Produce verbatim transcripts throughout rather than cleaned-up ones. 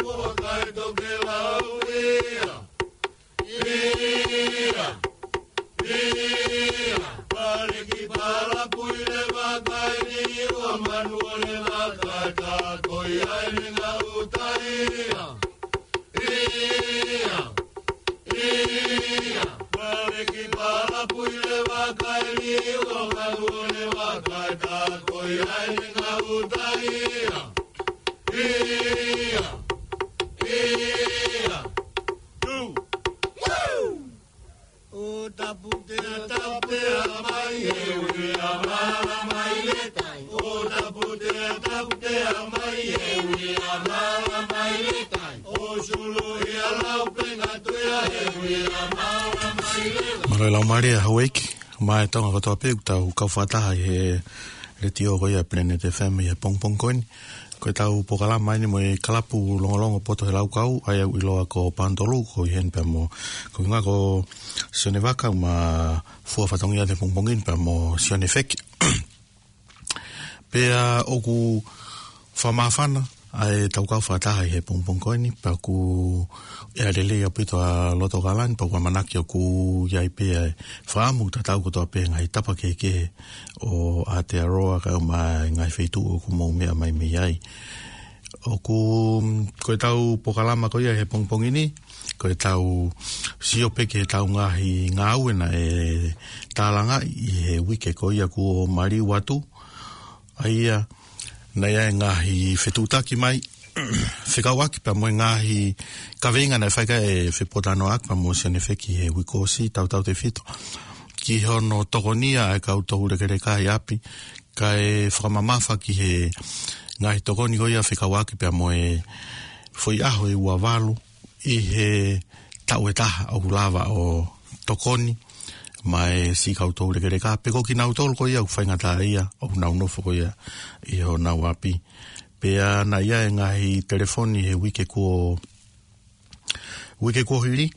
Mo kai tokelau ia. Ia. Ia. Pale ki pala pui le vakai ni ua manu o le vakai ta ko ia e ngā uta ia. Ia. Ia. Pale ki pala pui le vakai ni ua manu o le vakai ta ko ia e ngā uta ia. Ia. Ia. Two. Woo! O taputea, taputea mai e ui a mala mai le tai. O taputea, taputea mai e ui a mala mai le tai. O sulu ia lau penga tuea e ui a mala mai le tai. Mālō e lau mālie Hauiki, mo e Tonga kotoa pē ʻoku tau kau fakataha ʻi he letiō ko ia Planet F M ʻi he pongipongi ko eni. Ko ʻetau polokalama eni mo e kalapu longolongo poto he laukau, ʻa ia ʻoku ʻiloa ko Pantolu, ko eni pea mo, ko e ngā ko Sione Vaka, ma fua fatongia te pongipongi ni pea mo Sione Feki. Pea ʻoku fakamāfana ʻa ʻetau kau fakataha ʻi he pongipongi ko eni, pea ʻoku ʻea lelei ʻaupito ʻa loto kalani, pea ʻoku ʻamanaki ʻoku ʻi ai pē ʻa e fakaʻamu tatau kotoa pē ngaahi tapa kehekehe ʻo Aotearoa kae ʻumaʻā e ngaahi feituʻu ʻoku mou meʻa mai mei ai. ʻOku, ko ʻetau polokalama ko ia he pongipongi ni, ko ʻetau sio pē ki heʻetau ngaahi ngāue naʻe tālangaʻi ʻi he uike ko ia kuo maliu atu. ʻA ia, naʻe ʻi ai e ngaahi fetuʻutaki mai, fekauʻaki pea mo e ngaahi kaveinga naʻe fai ki ai e fepōtalanoaʻaki pea mo Sione Feki he uike kuo ʻosi, tautautefito ki hono tokonia ʻa e kau toulekeleka ʻi ʻapi, kae fakamamafa ki he ngaahi tokoni ko ia fekauʻaki pea mo e foʻi ʻaho ʻe ua valu ʻi he taʻu ʻe taha ʻoku lava ʻo tokoni mai siʻi kau toulekeleka, pe ko kinautolu ko ia ʻoku faingataʻaʻia ʻoku nau nofo ko ia ʻi honau ʻapi. Pea naʻe ʻi ai e ngaahi telefoni he uike kuo uike kuo hili,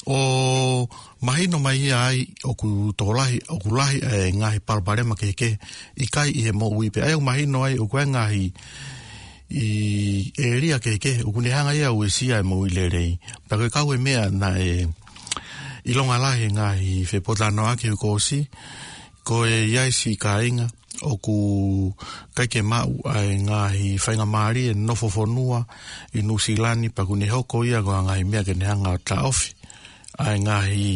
ʻo mahino mai ai ʻoku tokolahi, ʻoku lahi e ngaahi palopalema kehekehe ʻikai ʻi he moʻui pē. ʻA ia ʻoku mahino ai ʻoku ʻi ai e ngaahi ʻēlia kehekehe ʻoku ne hanga ia ʻo uesia e moʻui lelei. Pea ko e kau e meʻa naʻe ʻilonga lahi he ngaahi fepōtalanoaʻaki he uike kuo ʻosi, ko e ʻi ai siʻi kāinga ʻoku ʻikai ke maʻu ʻa e ngaahi faingamālie nofo fonua ʻi Nuʻusila ni, pea ʻoku ne hoko ia ko e ngaahi meʻa ke ne hanga ʻo taʻofi ʻa e ngaahi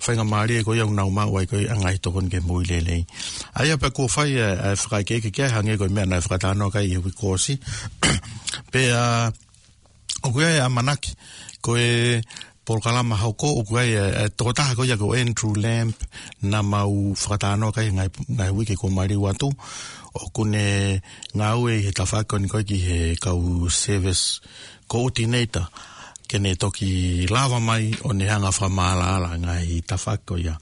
faingamālie ko ia ʻoku nau maʻu ai ko ia ʻa e ngaahi tokoni ki he moʻui lelei. ʻA ia pea kuo fai ʻa e, ʻa e fakaʻekeʻeke ki ai hangē ko e meʻa naʻe fakatalanoa ki ai he uike kuo ʻosi. Pea ʻoku ʻi ai e ʻamanaki, ko e polokalama hoko, ʻoku ʻi ai e, e tokotaha ko ia ko Andrew Lamb, naʻa mau fakatalanoa ki ai he ngaahi, ngaahi uike kuo maliu atu, ʻoku ne ngāue ʻi he tafaʻaki ko eni ko e ki he kau service coordinator, ke ne toki lava mai ʻo ne hanga ʻo fakamaʻalaʻala e ngaahi tafaʻaki ko ia.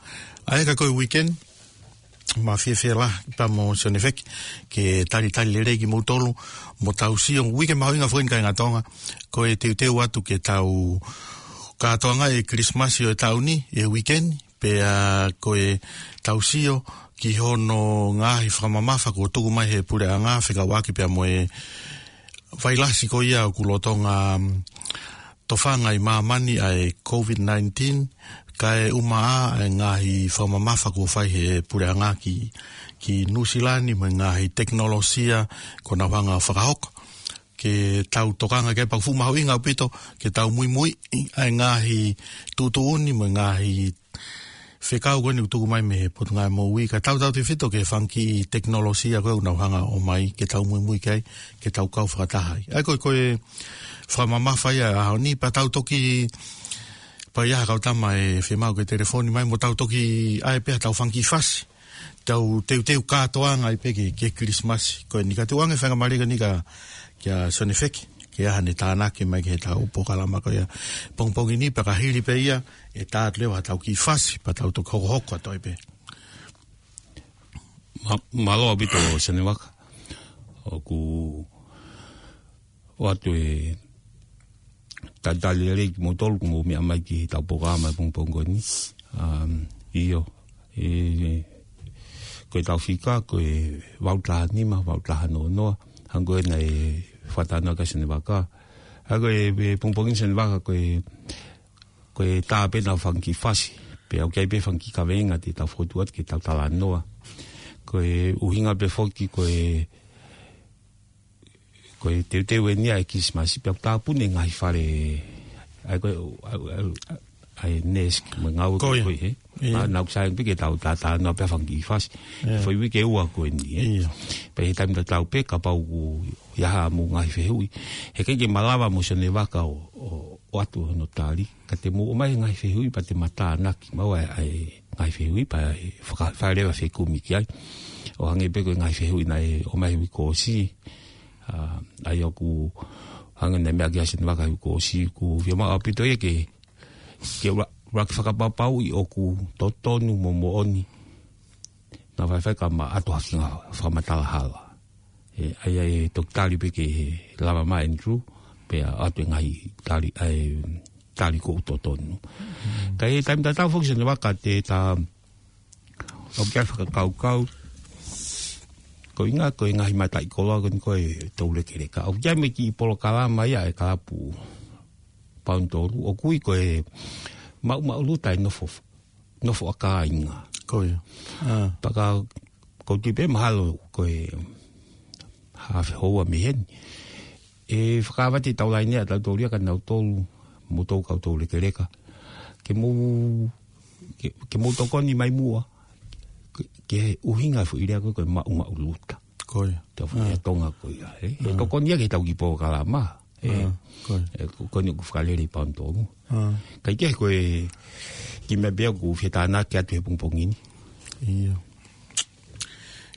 ʻA ia ka ko e weekend, ma fiefia lahi pea mo Sione Feki ke talitali lelei kimoutolu, mo tau sio uike mahuʻinga foki eni kāinga Tonga, ko e teuteu atu ke tau kātoanga e Kilisimasi ʻo e taʻu ni, e weekend, pea ko e tau sio ki hono ngaahi fakamamafa kuo tuku mai he puleʻanga fekauʻaki pea mo e vailasi ko ia ʻoku lolotonga, mm, tofanga ʻi māmani ʻa e COVID nineteen, kae ʻumaʻā e ngaahi fakamamafa kuo fai he puleʻanga ki, ki Nuʻusila ni mo e ngaahi tekinolosia kuo nau hanga ʻo fakahoko. Ke tau tokanga ki ai pea ʻoku fuʻu mahuʻinga ʻaupito ke tau muimui ʻa e ngaahi tuʻutuʻuni mo e ngaahi fekau ko eni ʻoku tuku mai mei he Potungāue Moʻui, kae tautautefito ki he fanga kiʻi tekinolosia ko ē ʻoku nau hanga ʻo ʻomai ke tau muimui ki ai, ke tau kau fakataha ai. ʻA ia ko e, ko e fakamamafa ia ʻo e ʻaho ni, pea tau toki, pea ʻi ai ha kau tama ʻe fiemaʻu ke telefoni mai, mo tau toki ʻai pē ha tau fanga kiʻi fasi, tau teuteu kātoanga ai pē ki he, ki he Kilisimasi. Ko eni ka tuʻu ange faingamālie ko eni kia, kia Sione Feki ke ʻai haʻane tānaki mai ki heʻetau polokalama ko ia pongipongi ni, pea ka hili pē ia, ʻe tā atu leva ha tau kiʻi fasi, pea tau toki hokohoko atu ai pē. Ma-, mālō ʻaupito Sione Vaka. ʻOku ʻoatu e talitali lelei kimoutolu kuo mou meʻa mai ki heʻetau polokalama he pongipongi ko eni. Um, ʻio, e, ko ʻetau fika, ko e valu taha nima, valu taha noa noa, hangē ko ē naʻe fakatalanoa ki ai Sione Vaka. Ka ko e, e pongipongi Sione Vaka ko e, ko e tā pē ʻenau fanga kiʻi fasi. Pea ʻoku ʻi ai pē fanga kiʻi kaveinga te tau fokotuʻu atu ke tau talanoa. Ko e ʻuhinga pē foki ko e, ko e teuteu eni ʻa e Kilisimasi, pea ʻoku tāpuni e ngaahi fale, ʻa e ko e, ʻa e, ʻa e, ʻa e nest, mo e ngāue ko ē, he? ʻIo. Naʻa, naʻa ʻoku sai pē ke tau tātānoa pē fanga kiʻi fasi. ʻIo. Foʻi uike ʻe ua ko eni, ē? ʻIo. Pea ʻi he taimi tatau pē, kapau ʻoku ʻi ai haʻamou ngaahi fehuʻi, heʻikai ke malava mo Sione Vaka ʻo, ʻo, ʻo ʻoatu hono tali. Ka te mou ʻomai e ngaahi fehuʻi pea te ma tānaki maua ʻa e, ʻa e ngaahi fehuʻi pea ʻe faka-, fai leva e fekumi ki ai. ʻO hangē pē ko e ngaahi fehuʻi naʻe ʻomai he uike kuo ʻosi. ʻA, ʻa ia ʻoku hangē naʻe meʻa ki ai Sione Vaka he uike kuo ʻosi, ʻoku fiemaʻu ʻaupito ia ke, ke ula-, ʻuluaki fakapapauʻi ʻoku totonu mo moʻoni. Naʻa faifai ka ma ʻoatu ha kiʻi fakamatala hala. ʻE, ʻa ia ʻe toki tali pē ke lava mai Andrew, pea ʻoatu e ngaahi tali, ʻa e tali ʻoku totonu. Mm. Ka ʻi he taimi tatau foki Sione Vaka te ta, ʻoku ʻi ai e fakakaukau, ko e ʻuhinga ko e ngaahi mataʻikoloa ko eni ko e toulekeleka. ʻOku ʻi ai mo e kiʻi polokalama ia ʻa e kalapu Paunitolu, ʻoku ui ko e Maʻumaʻuluta e Nofo, Nofo ʻa Kāinga. Ko ia. ʻA. Pea ka ʻoku ou tui pē mahalo ko e haafe houa mei heni, ʻe fakaava ʻe tau laine ʻa tautolu ia kia nautolu, mou toutou kau toulekeleka. Ke mou, ke, ke mou tokoni mai muʻa, ke, ke ʻuhinga e foʻi lea ko ē ko e Maʻumaʻuluta. Ko ia. Tau fai ʻa Tonga ko ia, ē. ʻE tokoni ia ki heʻetau kiʻi polokalama, ē. ʻA, ko ia. ʻE, ko, ko eni ʻoku fakalele ʻi Paunitolu. ʻA. Kae kehe ko e kiʻi meʻa pē ʻoku ou fie tānaki atu he pongipongi ni. ʻIo.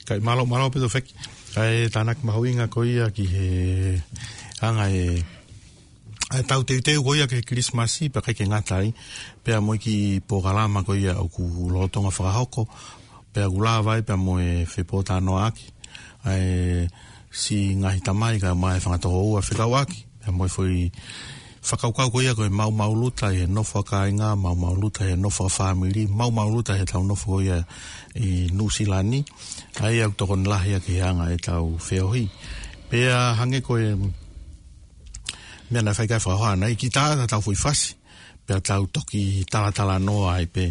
Kae mālō, mālō ʻaupito Feki. Kae tānaki mahuʻinga ko ia ki he anga e, ʻa e tau teuteu ko ia ki he Kilisimasi, pea ʻikai ke ngata ai. Pea mo e kiʻi polokalama ko ia ʻoku lolotonga fakahoko. Pea ʻoku lava ai pea mo e fepotalanoaʻaki ʻa e siʻi ngaahi tamai kae ʻumaʻā e fanga tokoua fekauʻaki. Pea mo e foʻi fakakaukau ko ia ko e Maʻumaʻuluta ʻi he Nofo ʻa Kāinga, Maʻumaʻuluta ʻi he Nofo ʻa Fāmili, Maʻumaʻuluta ʻi heʻetau nofo ko ia ʻi Nuʻusila ni. ʻA ia ʻoku tokoni lahi ia ki he anga ʻetau feohi. Pea hangē ko e meʻa naʻe fai ki ai e fakahohaʻa, naʻe kiʻi tā atu ʻetau foʻi fasi. Pea tau toki talatalanoa ai pē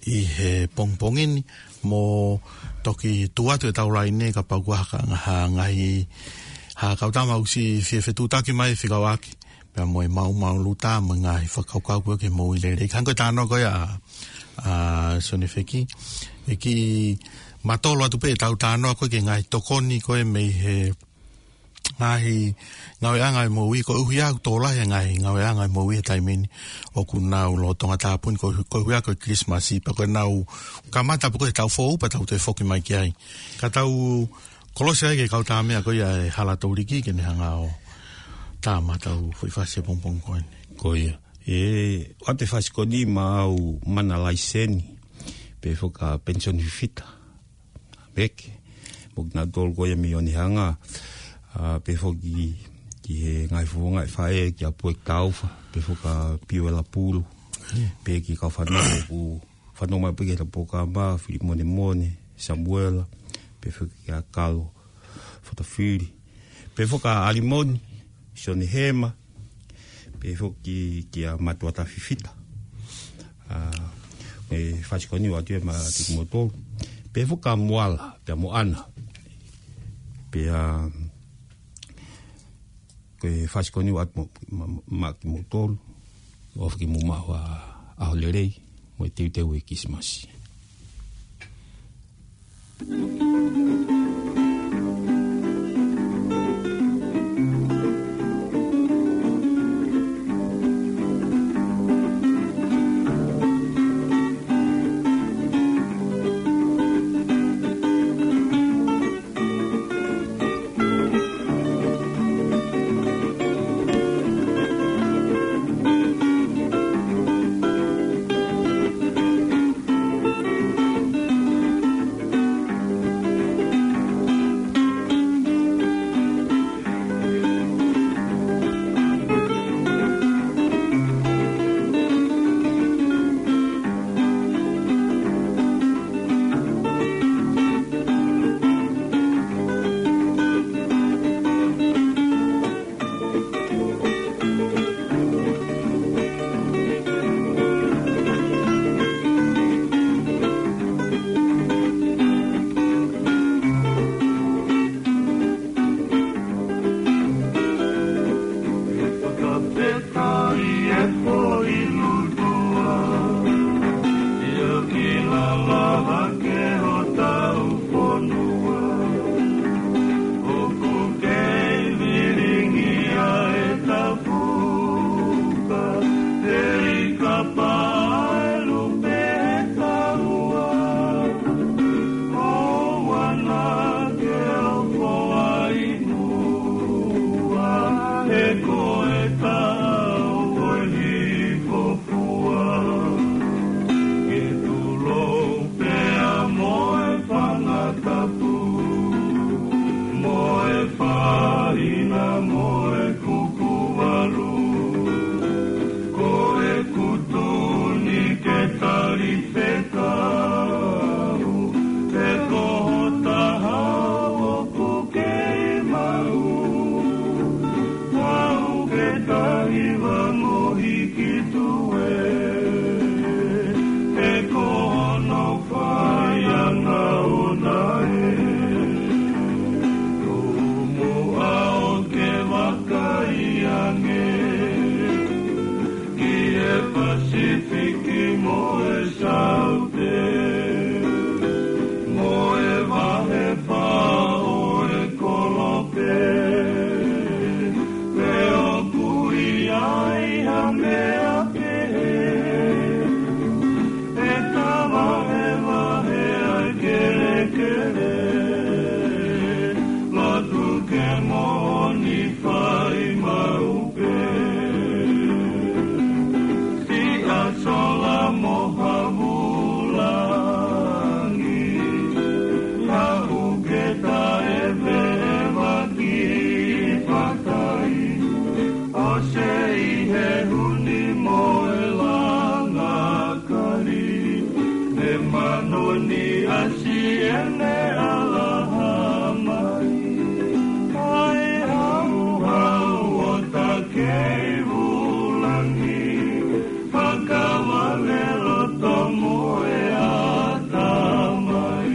ʻi he pongipongi ni, mo toki tuʻu atu ʻetau laine kapau ʻoku ʻi ai ha, ha ngaahi, ha kau tama ʻoku siʻi fie fetuʻutaki mai fekauʻaki. Pea mo e Maʻumaʻuluta mo e ngaahi fakakaukau ko ē ke moʻui lelei. Ka hangē ko e talanoa ko ia ʻa, ʻa Sione Feki. ʻE kiʻi matolo atu pē ʻetau talanoa ko ē ki he ngaahi tokoni ko ē mei he ngaahi ngāueʻanga ʻo e moʻui, koeʻuhi ʻoku tō lahi e ngaahi ngāueʻanga ʻo e moʻui he taimi ni ʻoku nau lolotonga tāpuni, ko, koeʻuhi ko e Kilisimasi, pea ko ʻenau kamata pē ko ē he taʻu foʻou, pea tau toe foki mai ki ai. Ka tau kolosi ai ki he kau tā meʻa ko ia ʻa e Hala Touliki ke ne hanga ʻo tā mai ʻetau foʻi fasi he pongipongi ko eni. Ko ia. ʻE, ʻoatu e fasi ko eni maʻau mana laiseni, pea foki kia Penisoni Fifita Meke, mo kinautolu ko ia mei Onehunga, ʻa, pea foki ki he ngaahi fofonga ʻo e faʻē, kia Pueki Taufa, pea foki kia Piuela Pulu, pea ki he kau fanongo ʻoku fanongo mai pē ki heʻetau polokalama, Filimonemone, Samuela, pea foki kia Kalo Fotofili, pea foki kia ʻAlimoni, Sione Hema, pea foki kia Matuata Fifita. ʻA, mo e fasi ko eni ʻoatu ia maʻa kimoutolu. Pea foki kia Moala, pea mo ʻAna. Pea, ko e fasi ko eni ʻoatu mo, ma, maʻa kimoutolu. ʻOfa ke mou maʻu ha ʻaho lelei, mo e teuteu e Kilisimasi. Lotu ke moʻoni fai maʻu pē. Siʻa sola mo ha vūlangi, haʻu ke taʻeveʻeva ki patai. ʻOsi e huni mo e langa kali, e manoni ʻa siʻene ʻalaha mai. Ai hauhau ʻo takei vūlangi, fakavave loto mo e ʻatamai.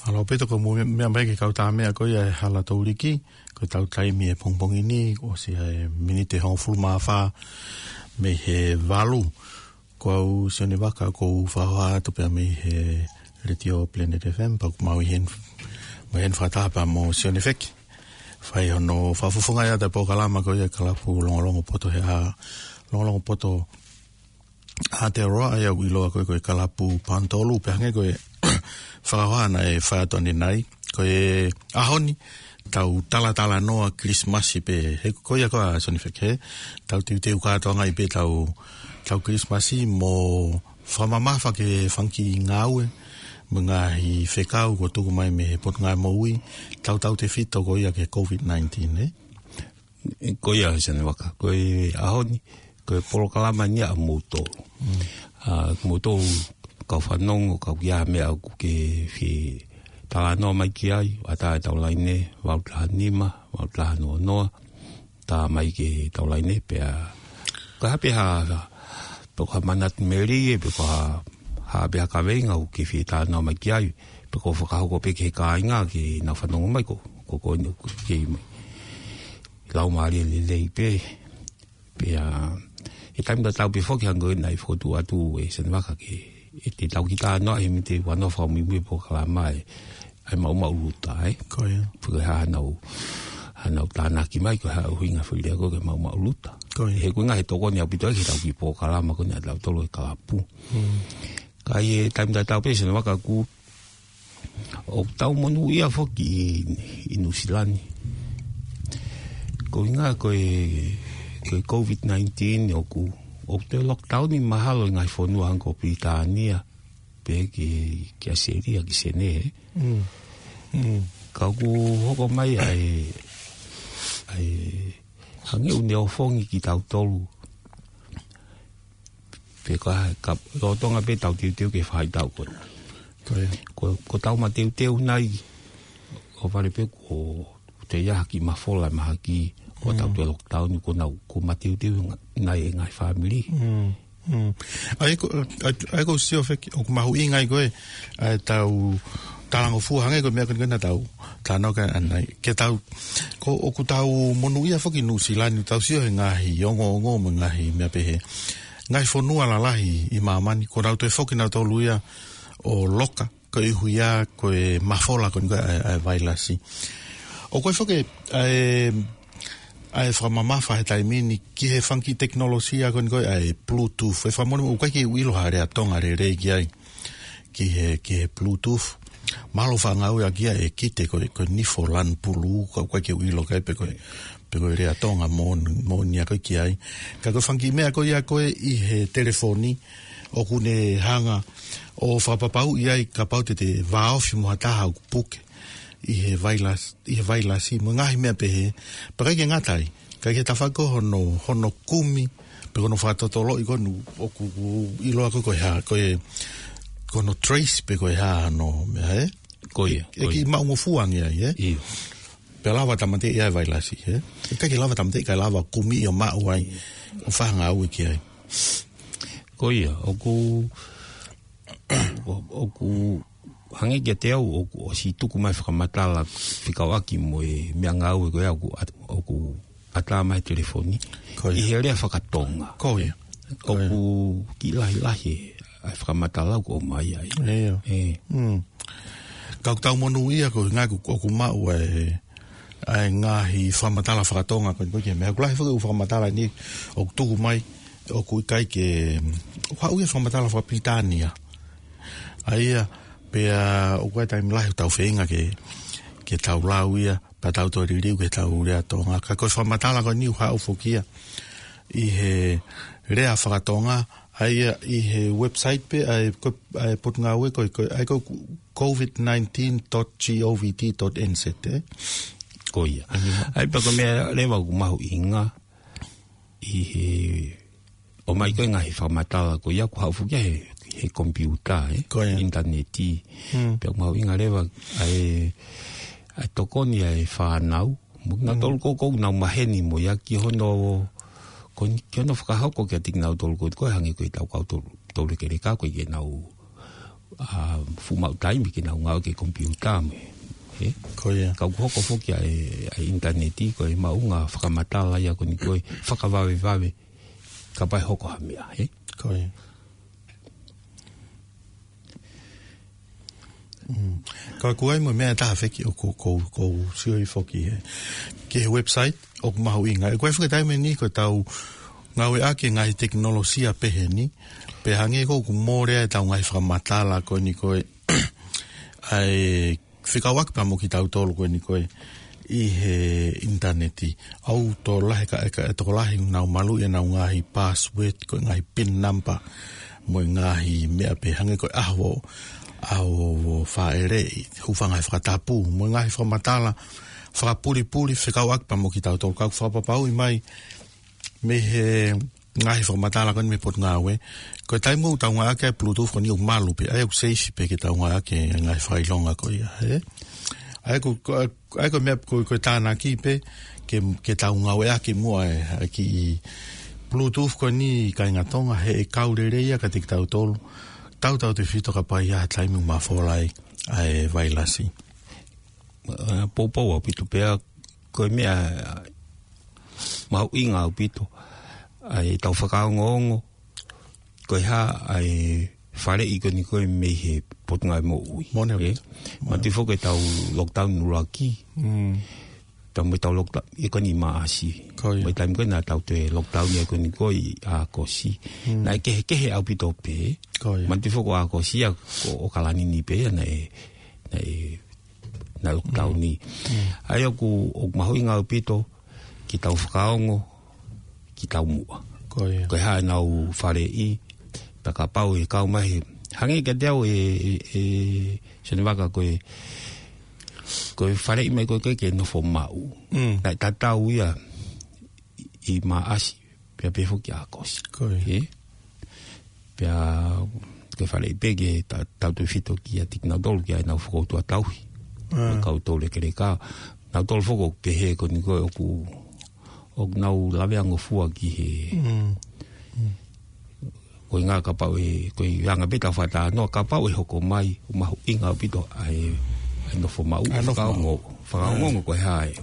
ʻAlu pē toki mou meʻa mai ki he kau tā meʻa ko ia he hala touliki, ko e tau taimi he pongipongi ni, ʻosi e miniti hongofulu mā fā mei he valu. Ko au Sione Vaka ʻoku ou fakahoha atu pē mei he Letiō Planet F M, pea ʻoku mau ʻi heni, mau ʻi heni fakataha pē mo Sione Feki. Fai hono fakafofongaʻi atu e polokalama ko ia e Kalapu Longolongo Poto he ʻaho, Longolongo Poto Aotearoa, ʻa ia ʻoku ʻiloa ko e, ko e Kalapu Panitolu, pea hangē ko e fakahoha naʻe fai atu ʻanenai. Ko e ʻaho ni, tau talatalanoa Kilisimasi pē, he ko ia ko ā Sione Feki, he tau teuteu kātoangaʻi pē tau, tau Kilisimasi mo fakamamafa ki he fanga kiʻi ngāue mo e ngaahi fekau kuo tuku mai mei he Potungāue Moʻui, tautautefito ko ia ki he COVID nineteen, ē? Ko ia Sione Vaka, ko e ʻaho ni, ko e polokalama ni ʻa moutolu. Mm. ʻA moutolu kau fanongo, kau ki ha meʻa ʻoku ke fie talanoa mai ki ai, ʻatā e tau laine, valu taha nima, valu taha noa noa, tā mai ki he tau laine, pea ko ha pē ha, ha, pe ko ha manatu melie, pe ko ha, ha pē ha kaveinga ʻoku ke fie talanoa mai ki ai, pe ko e fakahoko pē ki he kāinga ke nau fanongo mai ko, ko, ko eni ʻoku ke mai. Laumālie lelei pē, pea, he taimi tatau pē foki hangē ko ia naʻe fokotuʻu atu ʻe Sione Vaka ke, ʻe te tau kiʻi talanoa he mite ua noa fakamuimui polokalama ē, ʻa e maʻumaʻuluta, ē? Ko ia. Pe ko e hā hanau, hanau tānaki mai, ko e hā ʻuhinga fili ako ke maʻumaʻuluta. Ko ia. He ko e ʻuhinga he tokoni ʻaupito ia ki he tau kiʻi polokalama ko eni ʻa tautolu e Kalapu. Mm. Ka ʻi he taimi tatau pē Sione Vaka ʻoku ʻoku tau monūʻia foki ʻi, ʻi Nuʻusila ni. Ko e ʻuhinga ko e, ko e COVID nineteen ʻoku, ʻoku toe lockdown ʻi mahalo ʻi he ngaahi fonua hangē ko Pilitānia, pea ki, ki ʻAositelēlia, ki Senē, ē? Mm. Mm. Ka ʻoku hoko mai ʻa e, ʻa e, hangē ʻoku ne ofongi kitautolu. Pea ka, ka, lolotonga pē tau teuteu ki he faʻahitaʻu ko ena. Ko ia. Ko, ko tau mateuteu nai, ʻo vale pē ko te ia haki mafola mahaki, ko tau Mm. toe lockdown, ko nau, ko mateuteu nga-, nai e ngaahi fāmili. Mm. Mm. ʻA ia ko, ʻa, ʻa ia ko Sione Feki, ʻoku mahuʻinga ai ko e, ʻa e tau talangofua hangē ko e meʻa ko eni ko ena tau, talanoa ki ai ʻanenai. Ke tau, ko ʻoku tau monūʻia foki Nuʻusila ni, tau sio he ngaahi ongoongo mo e ngaahi meʻa pehē. Ngaahi fonua lalahi ʻi māmani, ko nau toe foki nautolu ia ʻo loka, koeʻuhi ko e mafola ko eni ko e ʻa e, ʻa e vailasi. ʻOku ʻi ai foki ʻa e, ʻa e fakamamafa he taimi ni ki he fanga kiʻi tekinolosia ko eni ko e ʻa e Bluetooth. ʻE fakamolemole, ʻoku ʻikai ke u ʻilo ha lea Tonga lelei ki ai. Ki he, ki he Bluetooth. Mahalo fakangāueʻaki ia ʻe Kite ko e, ko e nifo lanu pulu, ka ʻoku ʻikai ke u ʻilo ki ai pe ko e, pe ko e lea Tonga mo, moʻoni ia ko ē ki ai. Ka ko e fanga kiʻi meʻa ko ia ko ē ʻi he telefoni, ʻoku ne hanga ʻo fakapapauʻi ai kapau te te vāofi mo ha taha ʻoku puke ʻi he vailas-, ʻi he vailasi, mo e ngaahi meʻa pehē, pea ʻikai ke ngata ai, ʻikai ke tafaʻaki hono, hono kumi, pe ko hono fakatotoloʻi ko eni ʻoku ʻiloa ko e, ko e hā, ko e, ko hono trace pe ko e hā hono meʻa, ē? Ko ia, ʻE ko ia. Kiʻi maʻungofua ange ai, ē? ʻIo. Pea lava tāmateʻi ai e vailasi, ē? ʻIkai ke lava tāmateʻi, kae lava kumi ʻo maʻu ai, ʻo fakangāue ki ai. Ko ia, ʻoku, ʻo-, ʻoku hangē kiate au, ʻoku ʻosi tuku mai fakamatala fekauʻaki mo e meʻangāue ko ia ʻoku at-, ʻoku ʻatā mai he telefoni. Ko ia. ʻI he lea fakatonga. Ko ia. Ko ia. ʻOku kiʻi lahilahi ʻa e fakamatala ʻoku ʻomai ai. ʻIo. ʻE. Mm. Ka ʻoku tau monūʻia ko e ngaahi ʻoku, ʻoku maʻu ʻa e, ʻa e ngaahi fakamatala fakatonga ko eni ko e meʻa. ʻOku lahi foki e fakamatala ni ʻoku tuku mai, ʻoku ʻikai ke, ʻoku haʻu ia fakamatala fakapilitānia. ʻA ia, pea ʻoku ʻi ai e taimi lahi ʻoku tau feinga ke, ke tau lau ia, pea tau toe liliu ke tau lea Tonga. Ka ko e fakamatala ko eni ʻoku haʻu foki ia ʻi he lea fakatonga, ʻa ia ʻi he website pē, ʻa e ko-, ʻa e Potungāue ko e, ko e, ʻa e ko e covid nineteen dot govt dot N Z, ē? Ko ia. ʻA ia pea ko e meʻa leva ʻoku mahuʻinga ʻi he ʻomai ko e ngaahi fakamatala ko ia ʻoku haʻu foki ia he, he komipiuta, ē? Ko ia. ʻInitaneti. Mm. Pea ʻoku mahuʻinga leva ʻa e, ʻa e tokoni ʻa e fānau. Mo kinautolu Mm. ʻoku, ʻoku nau maheni mo ia ki hono, ko ni, ki hono fakahoko kiate kinautolu ko, ko e hangē ko e tau kau tolu, tolu lekeleka ko e ke nau, ʻa, fuʻu maʻu taimi ke nau ngāue ki he komipiuta mo e, ē? Ko ia. Ka ʻoku hoko foki ʻa e, ʻa e ʻinitaneti ko e maʻunga fakamatala ia ko eni ko e fakavavevave kapau ʻe hoko ha meʻa, ē? Ko ia. Mm. Ka ʻoku ʻi ai mo e meʻa ʻe taha foki ʻoku, ʻoku, ʻoku ou sio ai foki he, ki he website ʻoku mahuʻinga. ʻOku ʻi ai foki e taimi ni ko e tau ngāueʻaki e ngaahi tekinolosia pehē ni, pea hangē ko ʻoku mole ai e tau ngaahi fakamatala ko eni ko e, ʻa e fekauʻaki pea mo kitautolu ko eni ko e ʻi he ʻinitaneti. ʻOku tokolahi ka, ka, tokolahi nau maluʻi ʻenau ngaahi password, ko e ngaahi pin number, mo e ngaahi meʻa pē hangē ko e ʻaho, ʻaho fāʻeleʻi, hūfanga he fakatapu, mo e ngaahi fakamatala fakapulipuli fekauʻaki pea mo kitautolu. Ka ʻoku fakapapauʻi mai mei he ngaahi fakamatala ko eni mei he Potungāue. Ko e taimi ʻoku tau ngāueʻaki ai e Bluetooth ko eni ʻoku malu pē, ʻa ia ʻoku safe pē ke tau ngāueʻaki e ngaahi fakaʻilonga ko ia, ē? ʻA ia ko, ko, ʻa ia ko e meʻa ko, ko e tānaki pē ke, ke tau ngāueʻaki muʻa e, ʻa e kiʻi Bluetooth ko eni kāinga Tonga he ʻe kau lelei ia kiate kitautolu. Tautautefito kapau ʻe ʻi ai ha taimi ʻoku mafola ai ʻa e vailasi. ʻA, poupou ʻaupito pea ko e meʻa mahuʻinga ʻaupito ʻa e tau fakaongoongo ko e hā ʻa e faleʻi ko eni ko e mei he Potungāue Moʻui. Mone ē? ʻAupito. Manatuʻi foki e tau lockdown ʻuluaki. Mm. Tau mo e tau lockdown, ʻi ko eni Maʻasi. Ko ia. Mo e taimi ko ē naʻa tau toe lockdown ia ko eni ko e ʻi ʻAokosi. Mm. Naʻe kehekehe ʻaupito pē. Ko ia. Manatuʻi foki ko ʻAokosi ia ko ʻOkalani ni pē ia naʻe, naʻe naʻe lockdown ni. Mm. ʻA ia ʻoku, ʻoku mahuʻinga ʻaupito ke tau fakaongo, ke tau muʻa. Ko ia. Ko e hā ʻenau faleʻi, pea kapau ʻe kau mai he, hangē kiate au ē, ē, ē, Sione Vaka ko e, ko e faleʻi mai ko ē ke, ke nofo maʻu. Mm. Naʻe tatau ia ʻi Maʻasi, pea pehē foki ʻAokosi. Ko ia. Ē? Pea ko e faleʻi pē ke ta-, tautefito kiate kinautolu ki ai ʻenau fokoutua tauhi. Ah. Ko e kau tolu lekeleka. Nautolu foki ʻoku pehē ko eni ko e ʻoku, ʻoku nau lavea ngofua ki he. Mm. Mm. Ko e ʻuhinga kapau ʻe, ko e anga pē tau fakatalanoa kapau ʻe hoko mai, ʻoku mahuʻinga ʻaupito ʻa e, ʻa e nofo maʻu, ʻa e nofo maʻu. Fakaongo, fakaongo Ah. ko e hā ē,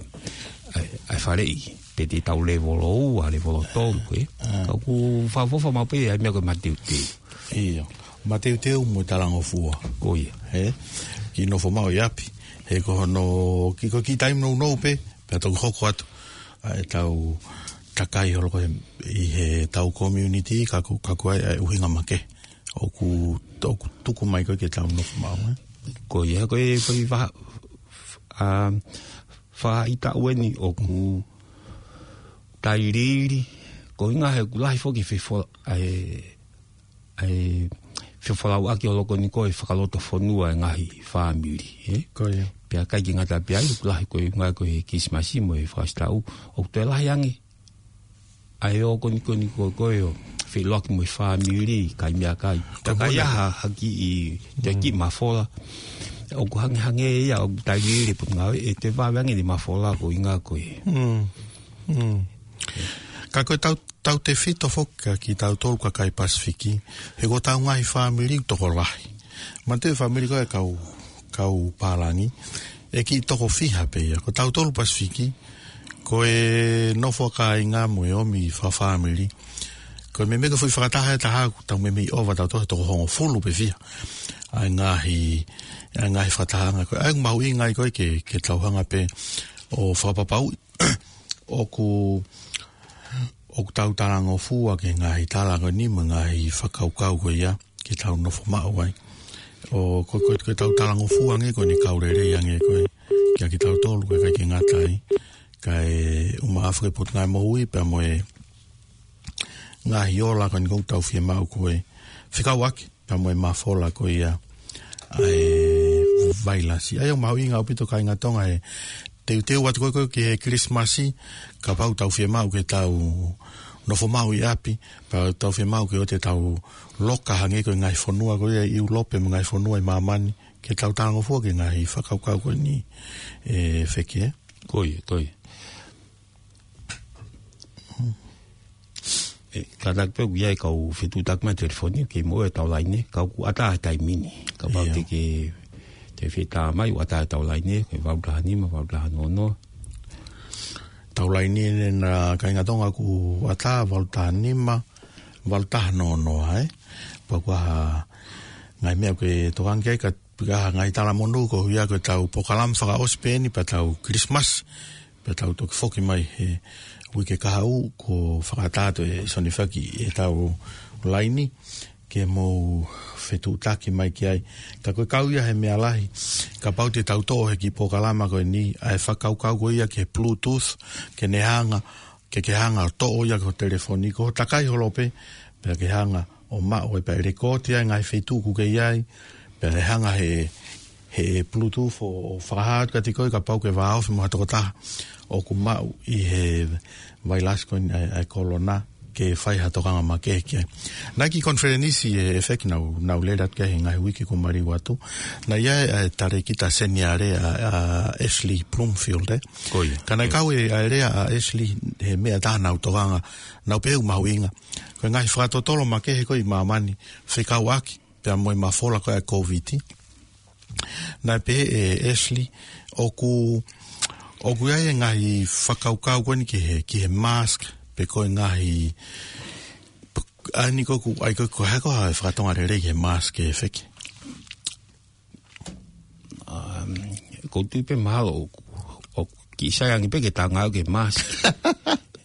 ʻa e, ʻa e faleʻi. Te te tau levolo ua, levolo tolu, ē. Ah. Ka ʻoku fakaʻofoʻofa maʻu pē ʻa e meʻa ko e mateuteu. ʻIo. Mateuteu mo e talangofua. Ko ia. Ē? Kiʻi nofo maʻu ʻi ʻapi. He ko hono, kiʻi, ko e kiʻi taimi nounou pē, pea toki hoko atu. ʻA e tau takai holo ko e, ʻi he tau community, ka ko, ka ko e, ʻa e ʻuhinga makehe. ʻOku, ʻoku tuku mai ko ē ke tau nofo maʻu, ē. Ko ia, ko e, ko e fa-, ʻa, faʻahitaʻu eni ʻoku tailiili, ko e ʻuhinga he ʻoku lahi foki e fefo-, ʻa e, ʻa e fefolauʻaki ʻo loko ni ko e fakalotofonua e ngaahi fāmili, ē? Ko ia. Pea ʻikai ke ngata pē ai, ʻoku lahi ko e ʻuhinga ko e Kilisimasi mo e Fakasitaʻu, ʻoku toe lahi ange ʻa e ō ko eni ko eni ko e, ko e ō feʻiloaki mo e fāmili, kai meʻakai. Ka ko e ʻai ʻa ha, ha kiʻi, te Mm. kiʻi mafola. ʻoku hangehangē ia ʻoku taimi ʻe lele e potungāue, ʻe toe vave ange ʻene mafola ko e ʻuhinga ko ē. Mm. Mm. Ka ko e tau, tautefito foki kia kitautolu kakai Pasifiki, he ko ʻetau ngaahi fāmili ʻoku tokolahi. Manatuʻi e fāmili ko ē kau, kau pālangi, ʻe kiʻi toko fiha pē ia. Ko tautolu Pasifiki, ko e nofo ʻa kāinga mo e ʻomi fakafāmili. Ko e meimei ko e foʻi fakataha ʻe taha, ʻoku tau meimei ʻova tautolu he toko hongofulu pe fiha. ʻA e ngaahi, ʻa e ngaahi fakatahaʻanga ko ē. ʻA ia ʻoku mahuʻinga ai ko ē ke, ke tau hanga pē ʻo fakapapauʻi ʻoku, ʻoku tau talangofua ki he ngaahi tala ko eni mo e ngaahi fakakaukau ko ia ke tau nofo maʻu ai. ʻO ko, ko, ko ʻetau talangofua ange ko eni, kau lelei ange ko ē kia kitautolu, ko e ʻikai ke ngata ai, kae ʻumaʻā foki e Potungāue Moʻui pea mo e ngaahi ola ko eni ʻoku tau fiemaʻu ko ē fekauʻaki pea mo e mafola ko ia ʻa e vailasi. ʻA ia ʻoku mahuʻinga ʻaupito kāinga Tonga he teuteu atu ko ē ko ē ki he Kilisimasi, kapau ʻoku tau fiemaʻu ke tau nofo maʻu ʻi ʻapi, pea ʻoku tau fiemaʻu ke ʻoua te tau loka hangē ko e ngaahi fonua ko ia ʻi ʻIulope mo e ngaahi fonua ʻi māmani, ke tau talangofua ki he ngaahi fakakaukau ko eni, ʻe Feke. Ko ia, ko ia. ʻE, kātaki pē ʻoku ʻi ai e kau fetuʻutaki mai telefoni, kei moʻua e tau laine, ka ʻoku ʻatā e taimi ni. Kapau ʻIo. te ke, te fie tā mai, ʻoku ʻatā e tau laine, ko e valu taha nima, valu taha noa noa. Tau laine ʻeni ʻa kāinga Tonga ʻoku ʻatā, valu taha nima, valu taha noa noa, ē? Pea ko e hā e ngaahi meʻa ʻoku ke tokanga ki ai, ka, ka ngaahi talamonū koeʻuhi ko ʻetau polokalama fakaʻosi pē ʻeni pea tau Kilisimasi, pea tau toki foki mai he uike kahaʻu, kuo fakaʻatā atu ʻe Sonifaki ʻetau laine ke mou fetuʻutaki mai ki ai. Ka ko e kau ia he meʻa lahi, kapau te tau toʻo he kiʻi polokalama ko eni, ʻa e fakakaukau ko ia ki he Bluetooth, ke ne hanga, ke ke hanga ʻo toʻo ia ki ho telefoni, ko ho takai holo pē, pea ke hanga ʻo maʻu ai pea ʻe lēkooti ai e ngaahi feituʻu ʻoku ke ʻi ai, pea ʻe hanga he, he Bluetooth ʻo, ʻo fakahā atu kiate koe kapau ʻoku ke vāofi mo ha tokotaha ʻoku maʻu ʻi he vailasi ko eni ʻa e, ʻa e kolona, ke fai ha tokanga makehe ki ai. Naʻe ʻi ai e kiʻi konifelenisi ʻe Feke naʻa ku, naʻa ku lele atu ki ai he ngaahi uike kuo maliu atu. Naʻe ʻi ai e, e talēkita seniale ʻa, ʻa Ashley Bloomfield, ē? Ko ia. Ka naʻe kau e, ʻa e lea ʻa Ashley he meʻa ʻe taha naʻa ku tokanga, naʻa ku pehē ʻoku mahuʻinga. Ko e ngaahi fakatotolo makehe ko ē ʻi māmani, fekauʻaki pea mo e mafola ko ē ʻa e Kōviti. Naʻe pehē ʻe Ashley, ʻoku, ʻoku ʻi ai e ngaahi fakakaukau ko eni ki he, ki he mask, pe ko e ngaahi, ʻa eni ko ē ʻoku, ʻa ia ko ē ʻoku hā ko ā e fakatonga lelei ki he mask ʻe Feke? Um, ʻoku ou tui pē mahalo ʻoku, ʻoku kiʻi sai ange pē ke tau ngāueʻaki e mask.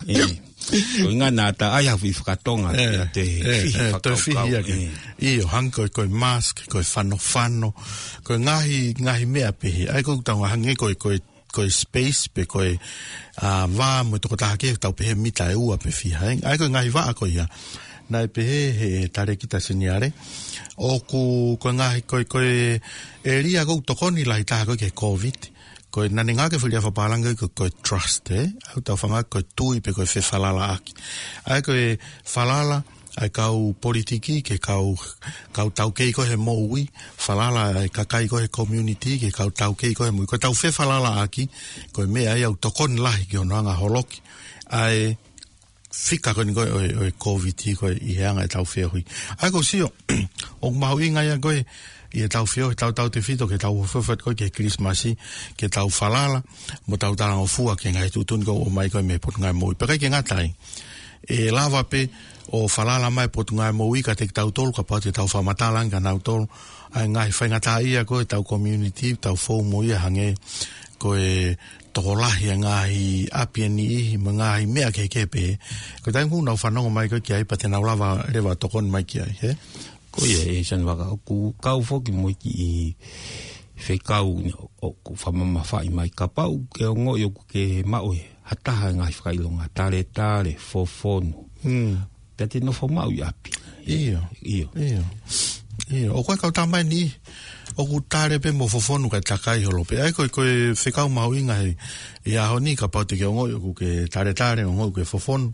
ʻE, ko e ʻuhinga naʻa ta ʻai ha foʻi fakatonga, ʻe, ʻe te ʻe, fihi ʻe, toe fakakaukau, fihi ake. ʻE. ʻIo, hangē ko e, ko e mask, ko e fanofano, ko e ngaahi, ngaahi meʻa pehē. ʻA ia ʻoku tau hangē ko e, ko e, ko e space, pe ko e, ʻa, vā mo e tokotaha kehe, tau pehē mita ʻe ua pe fiha, ē? ʻA ia ko e ngaahi vaʻa ko ia. Naʻe pehē he talēkita seniale, ʻoku, ko e ngaahi, ko e, ko e ʻēlia ʻoku tokoni lahi taha ko ē ki he Kōviti, ko e naʻa ne ngāueʻaki e foʻi lea fakapālangi ko e, ko e trust, ē? ʻA ia ʻoku tau fakaʻamu ko e tui pe ko e fefalalaʻaki. ʻA ia ko e falala ʻa e kau politiki ki he kau, kau taukei ko ē he moʻui, falala ʻa e kakai ko ē he community ki he kau taukei ko ē he moʻui. Ko ʻetau fefalalaʻaki, ko e meʻa ia ʻoku tokoni lahi ki hono anga holoki ʻa e fika ko eni ko ē ʻo e, ʻo e Kōviti ko ē ʻi he anga ʻetau feohi. ʻA ia ʻoku ou sio, ʻoku mahuʻinga ia ko ē ʻi heʻetau feohi, tautautefito ki heʻetau ofoofo atu ko ē ki he Kilisimasi, ke tau falala, mo tau talangofua ki he ngaahi tuʻutuʻuni ʻoku ʻomai ko ē mei he Potungāue Moʻui. Pea ʻikai ke ngata ai, ʻe lava pē ʻo falala mai e Potungāue Moʻui kiate kitautolu, kapau te tau fakamatala ange kia nautolu ʻa e ngaahi faingataʻaʻia ko ē ʻetau community, tau fou mo ia, hangē ko e tokolahi e ngaahi ʻapi ʻe niʻihi mo e ngaahi meʻa kehekehe pē. Ko e taimi ʻoku nau fanongo mai ko ē ki ai, pea te nau lava leva ʻo tokoni mai ki ai, ē? Ko ia, ʻe Sonifaka, ʻoku kau foki mo e kiʻi fekau ni ʻoku fakamamafaʻi mai, kapau ʻoku ke ongoʻi ʻoku ke maʻu ʻe ha taha e ngaahi fakaʻilonga, taletale, fofonu. Mm. Pea te nofo maʻu ʻi ʻapi. ʻIo. ʻIo. ʻIo. ʻIo. ʻOku ʻi ai e kau tama ʻe niʻihi ʻoku tale pē mo fofonu kae takai holo pē. ʻA ia ko e, ko e fekau mahuʻinga he, ʻi he ʻaho ni, kapau te ke ongoʻi ʻoku ke taletale, ongoʻi ʻoku ke fofonu,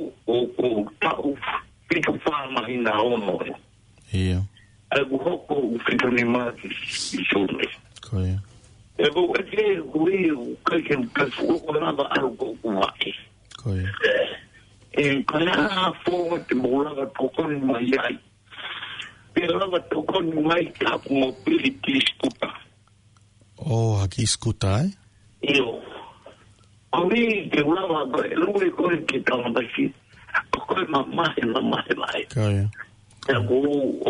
ʻo, ʻo taʻu fitu fā māhina ono ē. ʻIo. ʻA ia kuo hoko ʻoku fitu nima ki, ki Sune. Ko ia. ʻE ko e ke kui ʻoku ʻikai ke u ka fuʻu ko lava ʻalu ko ʻoku vaʻe. Ko ia. ʻE, ko e hā fōnga te mou lava tokoni mai ai. Te lava tokoni mai ka ʻoku mobility scooter. ʻO, ha kiʻi scooter, ē? ʻIo. Ko e ke u lava ko e lue ko e ke tala mai ki. Ko e mamahi, mamahi mai. Ko ia. ʻA ia ko,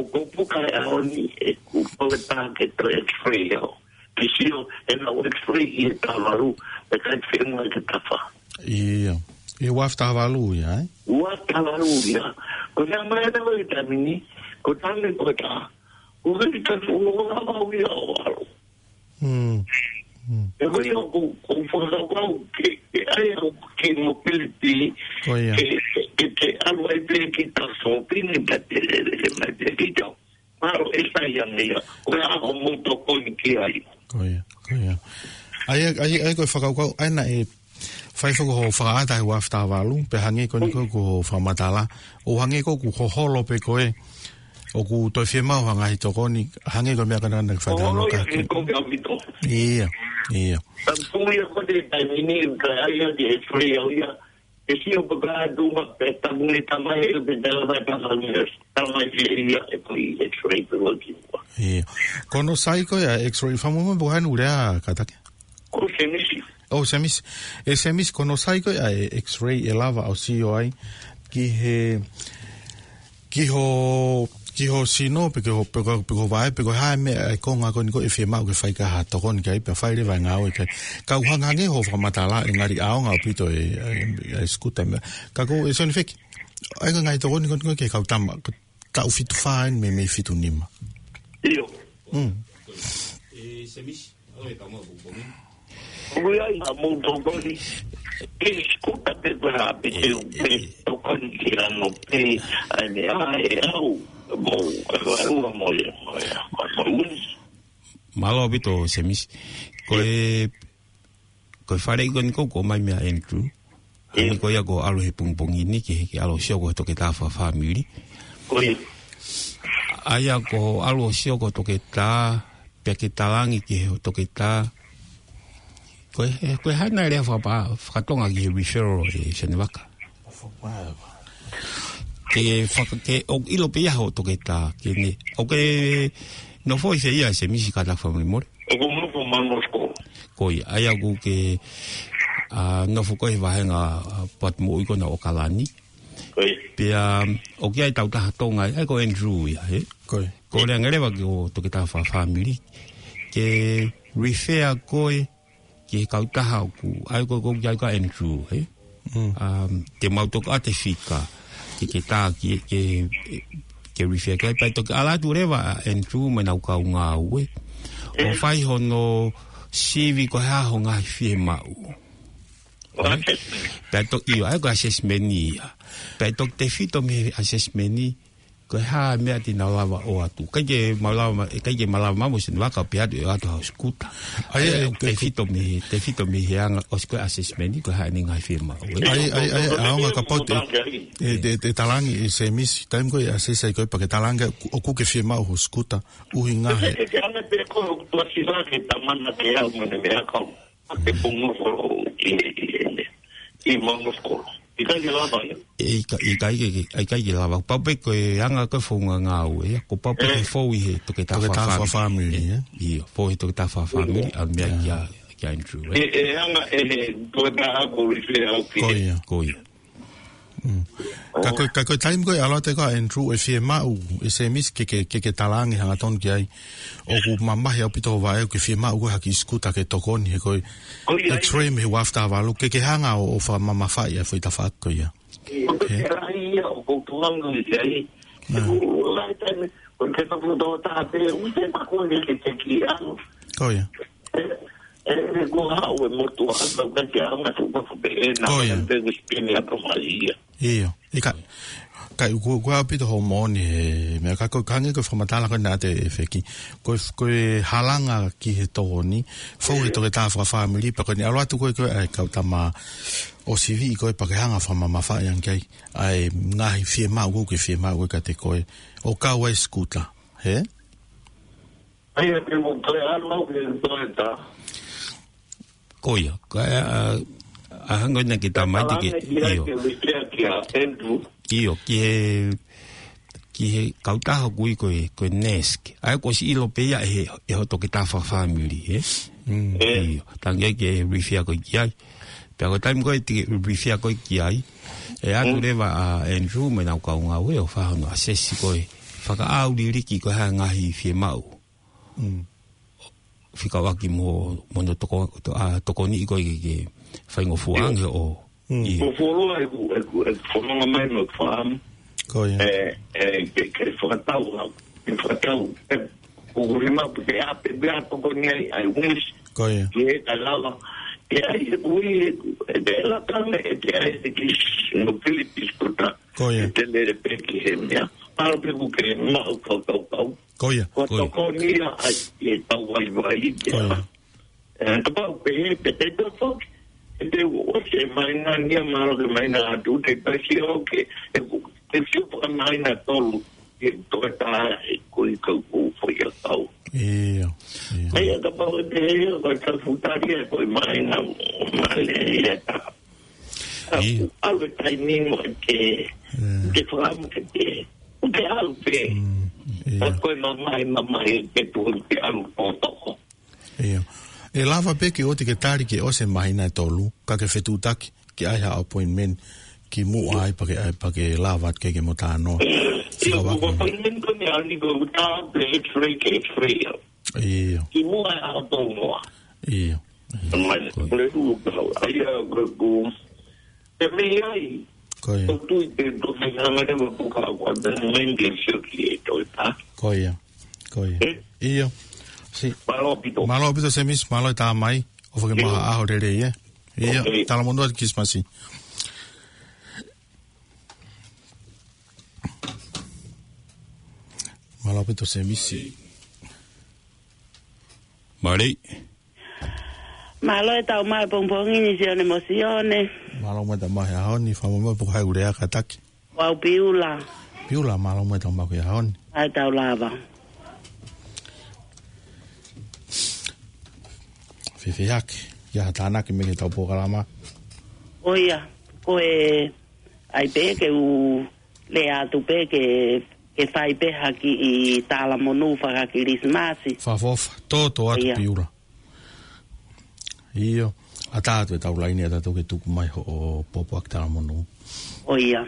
ʻoku puka e ʻaho ni ʻeku pole pā ke toe x-ray au. Ke sio, ʻenau x-ray ʻi he taha valu, ʻe ʻikai ke fenua ke tafa. ʻIo. ʻI he ua afe taha valu ia, ē? Ua afe taha valu ia. Ko e meʻa mai ʻa e taimi ni, ko e taimi ko e taha. Ko e taimi ko e taha, ʻoku lava au ia ʻo ʻalu. Mm. Mm. ʻE ko ia ʻoku, ʻoku fakakaukau ke, ke ʻai au ki he mobility, Ko ia. ke, ke, ke te ʻalu ai pē ki he taha sōpingi, pea te lele mai pē ki tau. Mālō e sai ange ia. Ko e ʻaho mou tokoni ki ai. Ko ia, ko ia. ʻA ia, ʻa ia, ʻa ia ko e fakakaukau, ʻa ia naʻe fai foki hoʻo fakaʻata he ua afe taha valu, pea hangē ko eni ko ē ko hoʻo fakamatala, ʻo hangē ko ē kuo hoholo pē ko ē, ʻoku toe fiemaʻu ha ngaahi tokoni, hangē ko e meʻa ko ena naʻe fai Hoholo ʻi he ki. Ko e ʻaupito. ʻIo, ʻio. Ka ko ia ko e taimi ni, ka ai ake e free au ia, e sio pē ka atu ma pe tapu ni tamai e pe tala mai pasa ni, tamai ke ia e ko i x-ray pe waki. ʻIo. Ko hono sai ko ē ʻa e x-ray fakamolemole pe ko hai ʻoku lea kātaki? Ko Semisi. ʻO Semisi. ʻE Semisi, ko hono sai ko ē ʻa e x-ray ʻe lava ʻo sio ai ki he, ki ho, ki ho sino, pe ki ho, pe ko, pe ko e vaʻe, pe ko e hā e meʻa ʻa e konga ko eni ko ē ʻe fiemaʻu ke fai ki ai ha tokoni ki ai, pea fai leva e ngāue ki ai. Ka ʻoku hangehangē hoʻo fakamatala ʻe ngali ʻaonga ʻaupito e, e, e scooter meʻa. Ka ko e Sione Feki, ʻa e ngaahi tokoni ko eni ko ē ki he kau tama, ko e taʻu fitu fā eni mei, mei he fitu nima. ʻIo. Mm. ʻE Semisi, ʻo e tama kupongi. Ui ai, a mou tokoni. Ke scooter pe ko e hā pe te u pe tokoni ki ano pe, ʻa e meʻa ʻe au, mou, ʻa e ua mo e, mo e, mo e, mo e. Mālō ʻaupito, Semisi. Ko e, ko e fale ko eni ko ē ʻoku ʻomai meia Andrew. Ko ia ko e ʻalu he pongipongi ni ke, ke ʻalu ʻo sio ko e toketā fakafāmili. Ko ia. ʻA ia ko e ʻalu ʻo sio ko e toketā, pea ke talaange ki he toketā. Ko e, ko e hā nai e lea faka-, fakatonga ki he referral ʻe Senevaka. Ke faka-, ke ʻoku ʻilo pē ia ho toketā, ke ne, ʻoku ke nofo ʻi fē ia Semisi, kātaki fakamolemole? ʻOku ou nofo Mount Roskill. Ko ia, ʻa ia ʻoku ke, ʻa, nofo ko e vahenga, ʻa, Port Moʻui ko ena ʻo ʻAokalani. Ko ia. Pea, ʻoku ʻi ai e tautaha Tonga, ʻa ia ko Andrew ia, hē? Ko ia. Ko e lea ange leva ki ho toketā fakafāmili. Ke refer koe ki he kautaha ʻoku, ʻa ia ko, ko, ʻa ia ko Andrew, hē? Mm. Um, te mau toki ʻoatu e fika, ke, ke tā, ke, ke, ke refer ki ai, pea toki ʻalu atu leva ʻa Andrew mo ʻenau kau ngāue. ʻO fai hono sivi ko e hā ho ngaahi fiemaʻu. Hē? Pea toki ʻio, ʻa ia ko e assessment ia. Pea toki tefito mei he assessment ni, ko e hā e meʻa te nau lava ʻoatu. ʻIkai ke mau lava ma-, ʻikai ke mau lava maʻu mo Senevaka pea ʻoatu, ʻoatu ha scooter. ʻA ia, ʻe, ʻe, tefito mei, tefito mei he anga, ʻosi ko e assessment ni, ko e hā ʻene ngaahi fiemaʻu. ʻA ia, ʻa ia, ʻa ia, ʻaonga kapau te, ʻe, ʻe, ʻe talaange ʻe Semisi, taimi ko ē ʻe assess ai koe pea ke talaange ʻoku ke fiemaʻu ho scooter, ʻuhinga he. Ke, ke anga pē ko e ʻoku tuʻasila ke tamana ke au mo ne meʻa kau. Ke pongo folo i, i, i, i Mount Roskill. ʻIkai ke lava ia. ʻE, ʻikai, ʻikai ke, ke, ʻikai ke lava. Pau pē ko e anga ko e founga ngāue ia. Ko pau pē ke fou ʻi he toketā fakafāmili. Toketā fakafāmili, ē? ʻIo, fou he toketā fakafāmili, ʻa meʻa kia, kia Andrew, ē? ʻE, ʻe anga ʻe he toketā ko e refer au ki he. Ko ia. Ko ia. Mm. Ka ko e, ka ko e taimi ko ē ʻalu atu ko ē ʻa Andrew ʻo fiemaʻu ʻe Semisi ke, ke, ke, ke talaange hangatonu ki ai. ʻOku mamahi ʻaupito ho vaʻe ʻoku ke fiemaʻu ko e ha kiʻi scooter ke tokoni he ko e X-ray mei he ua afe taha valu. Ke, ke hanga ʻo, ʻo fakamamafaʻi ʻa e foʻi tafaʻaki ko ia. ʻOku ke ʻai ia, ʻoku ou tuʻu ange ki ai. ʻOku ʻai taimi, ʻoku ke nofo tō tā pē, ʻoku te makua ke te ki anu. Ko ia. ʻE, ʻe, ʻe, ko e hā ʻoku motuʻa ʻa e tau kai ke anga tu ka ko pē ʻe na. Ko ia. Pē ko spini a ko mai ia. ʻIo. ʻIkai, kai ʻoku, ʻoku ʻaupito hoʻo moʻoni he, meʻa ka ko e hangē ko e fakamatala ko ena ʻa e feki. Ko e, ko e halanga ki he tokoni, fou he toketā fakafāmili, pea ko eni ʻalu atu ko ē ko ē ʻa e kau tama ʻo sivi ko ē pea ke hanga fakamamafaʻi ange ki ai ʻa e ngaahi fiemaʻu ʻoku ke fiemaʻu ko ē kiate koe. ʻO kau ai scooter, hē? ʻA ia ke mo toe ʻalu au ke toe tā. Ko ia, ka, ʻa, ʻa hangē ko ena ke tā mai te ke, ʻio. Ke refer kia Andrew. ʻIo, ki he, ki he kautaha ʻoku ui ko e, ko e NESC. ʻA ia kuo ʻosi ʻilo pē ia ʻe he, ʻe ho toketā fakafāmili, ē? Mm. ʻIo, talaange ke refer koe ki ai. Pea ko e taimi ko ē te ke refer koe ki ai, ʻe ʻatu leva ʻa Andrew mo ʻenau kau ngāue ʻo fai hono assess ko ē. Fakaʻau liliki ko e hā e ngaahi fiemaʻu. Mm. Fekauʻaki mo, mo hono toko-, to-, ʻa, tokoniʻi koe ke, ke faingofua ange ʻo. Mm. ʻIo. Ko e fuoloa ʻeku, ʻeku, ʻeku fononga mai mo e faamu. Ko ia. ʻE, ʻe, ke, ke fakatau, ke fakatau, ʻe, ko e rima pu te ape, pea tokoni ai, ʻa e unis. Ko ia. Ke ka lava, ʻe ʻai ʻeku ʻi, ʻe, ʻe te la kame, ʻe te ʻai te kis, no Philippines kota. Ko ia. ʻE te lele pē ki he meʻa. Palo pē ʻoku ke maʻu kau, kau, kau. Ko ia. Ko e tokoni ia ai, ʻe tau vaivai te. Ko ia. ʻE, kapau pē he, pē te tau foki. ʻE te u ʻosi e maina ni a maro ke maina atu, te pasi o ke, ʻe ku, te sio paka maina tolu, ʻe toe tā, ʻe kui kau kau fai a kau. ʻIo, ʻio. ʻA ia kapau ʻe te he, ko e tau futari ʻe ko e maina, maina ia tā. ʻIo. ʻAlu e taimi mo e te, te fakamu ke te, te ʻalu pē. Mm, ʻio. Ka ko e mamahi, mamahi, te tuʻu te ʻalu tōtoko. ʻIo. ʻE lava pē ke ʻoua te ke tali ke ʻosi e māhina ʻe tolu, ka ke fetuʻutaki, ke ʻai ha appointment, ki muʻa ai pea ke, ʻai pea ke lava atu ke ke mo tā noa. ʻIo, ko appointment ko eni ʻalu ni ko tā pē X-ray ke X-ray. ʻIo. Ki muʻa ai ʻaho tolu noa. ʻIo. Mai, ko e hulu kau. ʻA ia, ko, ko, te mei ai. Ko ia. Ko tui te, to mei hanga te mo puka ko ata mei ke sio ki e toi ta. Ko ia. Ko ia. Eh? ʻIo. Si. Mālō ʻaupito. Mālō ʻaupito Semisi, mālō e tā mai. ʻOfa ke maʻu ha ʻaho lelei, ē? ʻIo. Ok. Talamonū atu Kilisimasi. Mālō ʻaupito Semisi. Mālō. Mālō e tau mai pongipongi ni Sione mo Sione. Mālō muʻa e tau maʻu he ʻaho ni, fakamolemole pe ko hai ʻoku lea kātaki. Ko au Piula. Piula, mālō muʻa e tau maʻu he ʻaho ni. ʻAi tau lava. Fēfē hake, ʻi ai ha tānaki mei he tau polokalama? ʻOia, ko e ʻai pē ke u lea atu pē ke, ke fai pē ha kiʻi talamonū fakakilisimasi. Fakaʻofoʻofa, tōtō atu ʻIa. Piula. ʻIo, ʻatā atu e tau laine ʻatā atu ke tuku mai hoʻo pōpoaki talamonū. ʻOia.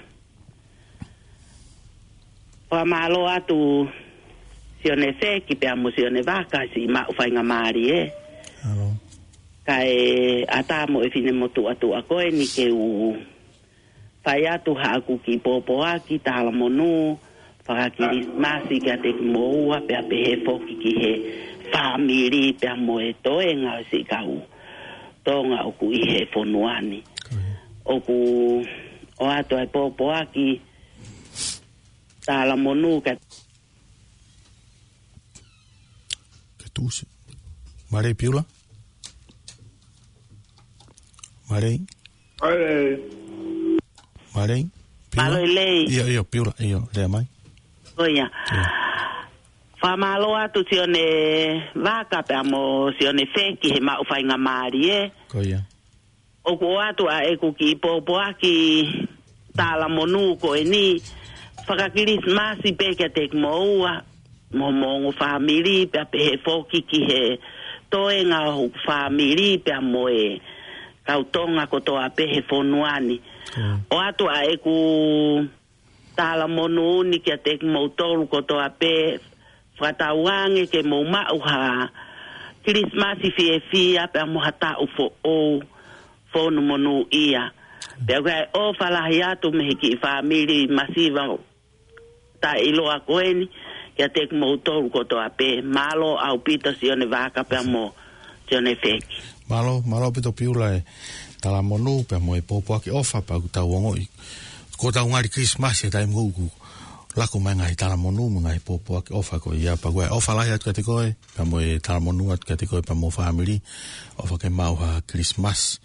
Fakamālō atu Sione Feki pea mo Sione Vaka siʻi maʻu faingamālie. Mālō. Kae ʻatā mo e finemotuʻa tuʻa ko eni ke u fai atu haʻaku kiʻi pōpoaki talamonū fakakilisimasi kiate kimoua pea pehē foki ki he fāmili pea mo e toenga ʻo siʻi kau Tonga ʻoku ʻi he fonua ni. ʻOku ʻoatu ai pōpoaki talamonū ka Ke tusi. Mālō Piula. Mālō. Mālō. Mālō. Piula. Mālō Lei. ʻIo, ʻio, Piula, ʻio, lea mai. ʻOia. ʻIo. Fakamālō atu Sione Vaka pea mo Sione Feki he maʻu faingamālie. Ko ia. ʻOku ʻoatu ʻa ʻeku kiʻi pōpoaki talamonū ko eni fakakilisimasi pē kiate kimoua mo mo ongo fāmili pea pehē foki ki he toenga ʻo hoku fāmili pea mo e kau Tonga kotoa pē he fonua ni. ʻOatu ʻa ʻeku talamonū ni kiate kimoutolu kotoa pē fakatauange ke mou maʻu ha Kilisimasi fiefia pea mo ha taʻu foʻou fonu monūʻia. Pea ʻoku ʻai ʻofa lahi atu mei he kiʻi fāmili masiva taʻeʻiloa ko eni kiate kimoutolu kotoa pē. Mālō ʻaupito Sione Vaka pea mo Sione Feki. Mālō, mālō ʻaupito Piula e talamonū pea mo e pōpoaki ʻofa pea ʻoku tau ongoʻi. Ko ʻetau ngali Kilisimasi he taimi ʻoku lako mai ngaahi talamonū mo e ngaahi pōpoaki ʻofa ko ia pea ʻoku ʻai ʻofa lahi atu kiate koe pea mo e talamonū atu kiate koe pea mo e fāmili. ʻOfa ke maʻu ha Kilisimasi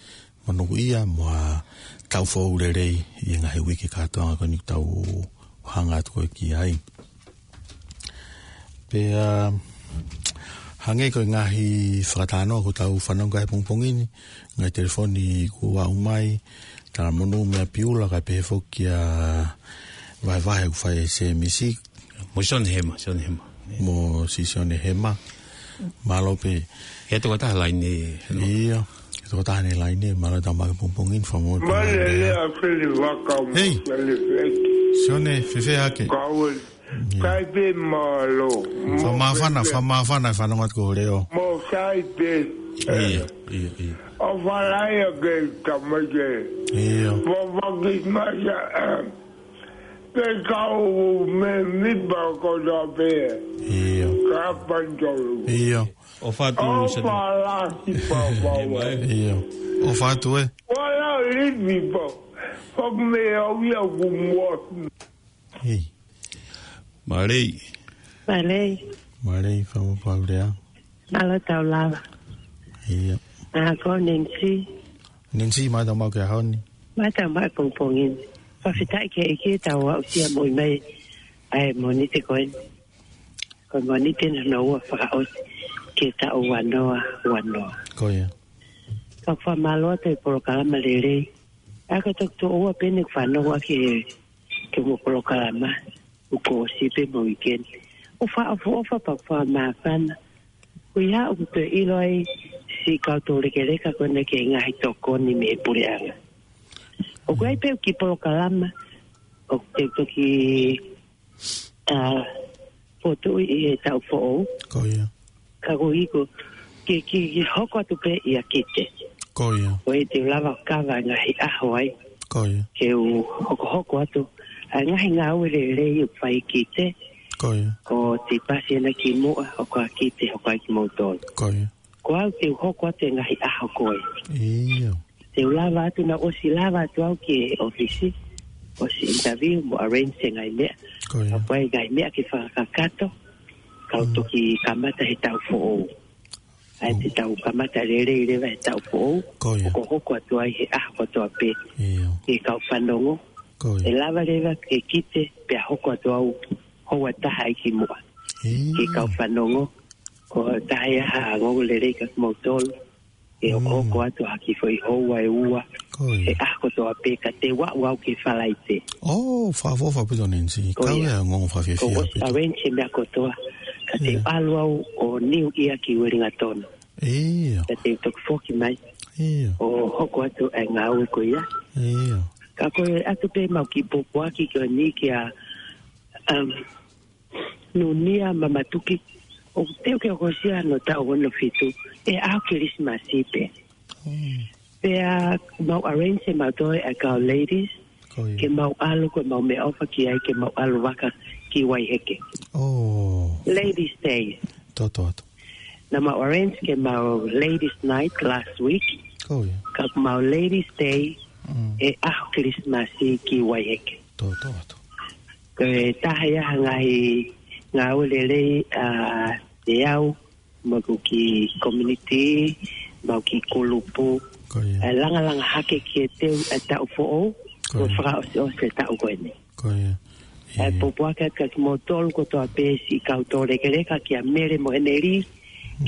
monūʻia mo ha taʻu foʻou lelei ʻi he ngaahi uike kātoanga ko eni ʻoku tau hanga atu ko ē ki ai. Pea hangē ko e ngaahi fakatalanoa ʻoku tau fanongo ki ai he pongipongi ni, ngaahi telefoni kuo aʻu mai, talamonū meia Piula kae pehē foki ʻa e vahevahe ʻoku fai ʻe Semisi. Mo Sione Hema, Sione Hema. Mo Sione Hema. Mālō pē. He tokotaha laine. ʻIo, he tokotaha ʻi he laine, mālō e tau maʻu he pongipongi ni, fakamolemole pē. Mālō e lea Sione Vaka mo Sione Feki. Hei. Sione, fēfē hake? Kau ʻIo. Sai pē mālō. Fakamāfana, fakamāfana e fanongo atu ko e leʻo. Mo sai pē. ʻIo, ʻio, ʻio. ʻOfa lahi ake tamai ke. ʻIo. Mo fakis masa. Pe kau me mipa ko ta pē. ʻIo. Ka pantolu. ʻIo. ʻOfa atu, ʻOfa lahi papa. ʻIo. ʻOfa atu ē. Wala livi pa. Fak me au ia kumua. Hei. Mālō. Mālō. Mālō, fakamolemole. Mālō tau lava. ʻIo. ʻA, ko Nancy. Nancy, mālō e tau maʻu he ʻaho ni. Mālō e tau maʻu he pongipongi ni. Fakafetaʻi ki he ʻEiki ʻetau aʻusia mo e mai ʻa e Mōnite ko eni. Ko e Mōnite hono ua fakaʻosi ki he taʻu ua noa ua noa. Ko ia. Ka fakamālō atu e polokalama lelei. ʻA ia ko e toki tuʻo ua pē eni ʻeku fanongo ʻaki he, ki hoʻomo polokalama, ʻoku ʻosi pē mo weekend. ʻOfa, ʻofa, ʻofa pea fakamāfana. Ko ia ʻoku toe ʻilo ai siʻi kau toulekeleka ko ena ki he ngaahi tokoni mei he puleʻanga. ʻOku ʻi ai pē kiʻi polokalama, ʻoku te toki ʻa, fotu ʻi he taʻu foʻou. Ko ia. Ka ko ʻeku, ke, ke, ke hoko atu pē ia ki te. Ko ia. Ko e te lava kava ngaahi ʻaho ai. Ko ia. Ke u hokohoko atu. ʻA e ngaahi ngāue lelei ʻoku fai ki te. Ko ia. Ko te pasi ena ki muʻa, hoko ʻa ki te, hoko ai kimoutolu. Ko ia. Ko au te u hoko atu e ngaahi ʻaho ko ē. ʻIo. Te u lava atu naʻa ʻosi lava atu au ki he ʻōfisi. ʻOsi interview mo arrange e ngaahi meʻa. Ko ia. Ka ko e ngaahi meʻa ke fakakakato. Kau Mm. toki kamata he taʻu foʻou. ʻA ia te tau kamata lelei leva he taʻu foʻou. Ko ia. ʻO hoko atu ai he ʻaho kotoa pē. ʻIo. Ki he kau fanongo. Ko ia. ʻE lava leva ke kite pea hoko atu au houa taha ʻi ki muʻa. ʻIo. Ki he kau fanongo. Ko e taha ia ha ongoongo lelei kia kimoutolu. ʻE Mm. hoko atu ha kiʻi foʻi houa ʻe ua. Ko ia. He ʻaho kotoa pē ka te u aʻu au ki Falaite. ʻO, fakaʻofoʻofa ʻaupito Nancy. Ko ia. Kau ia ongoongo fakafiefia ʻOku ʻosi ʻaupito. Arrange e meʻa kotoa. Ka te u ʻalu au ʻo New Year ki Uelingatonu. ʻIo. Ka te u toki foki mai. ʻIo. ʻO hoko atu e ngāue ko ia. ʻIo. Ka ko e ʻoatu pē ʻemau kiʻi pōpoaki ko eni kia, um, Nunia Mamatuki. ʻOku teu ke hokosia hono taʻu ono fitu. ʻE ʻaho Kilisimasi pē. Mm. Pea mau arrange ʻemau toe ʻa e kau ladies. Ko ia. Ke mau ʻalu ko ʻemau meʻaʻofa ki ai ke mau ʻalu vaka ki Waiheke. ʻO. Ladies Day. Toto atu. Naʻa mau arrange ke mau ladies night last week. Ko ia. Ka mau ladies day Mm. ʻe ʻaho Kilisimasi ki Waiheke. Toto atu. Ko e taha ia ha ngaahi ngāue lelei ʻa e au, mo ʻeku kiʻi community, mo ʻeku kiʻi kulupu. Ko ia. ʻE langalanga hake ki he teu e taʻu foʻou, Ko mo ia. fakaʻosiʻosi e taʻu ko eni. Ko ia. ʻE ʻIo. pōpoaki atu kia kimoutolu kotoa pē siʻi kau toulekeleka kia Mele mo Heneli,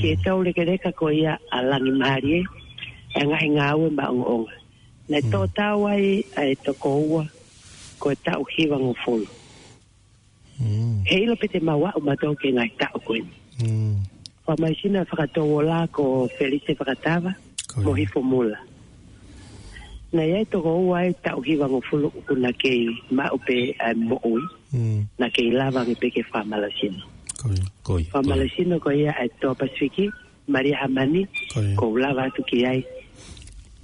ke Mm. toulekeleka ko ia ʻa Langimālie, ʻa e ngaahi ngāue maʻongoʻonga. Naʻe Mm. tō tau ai ʻa e toko ua, ko e taʻu hivangofulu. Mm. Heiʻilo pē te mau aʻu mautolu ki he ngaahi taʻu ko eni. Mm. Fakamālohisino e fakatouola ko Felise Fakatava, Ko ia. mo Hifo Mula. Naʻe ʻi ai toko ua e taʻu hivangofulu ʻoku na kei maʻu pē ʻa e moʻui. Mm. Na kei lava ange pē ke fakamālohisino. Ko ia. Ko ia. Fakamālohisino ko ia ʻa e Toa Pasifiki, Malia Hamani, Ko ia. ʻoku ou lava atu ki ai,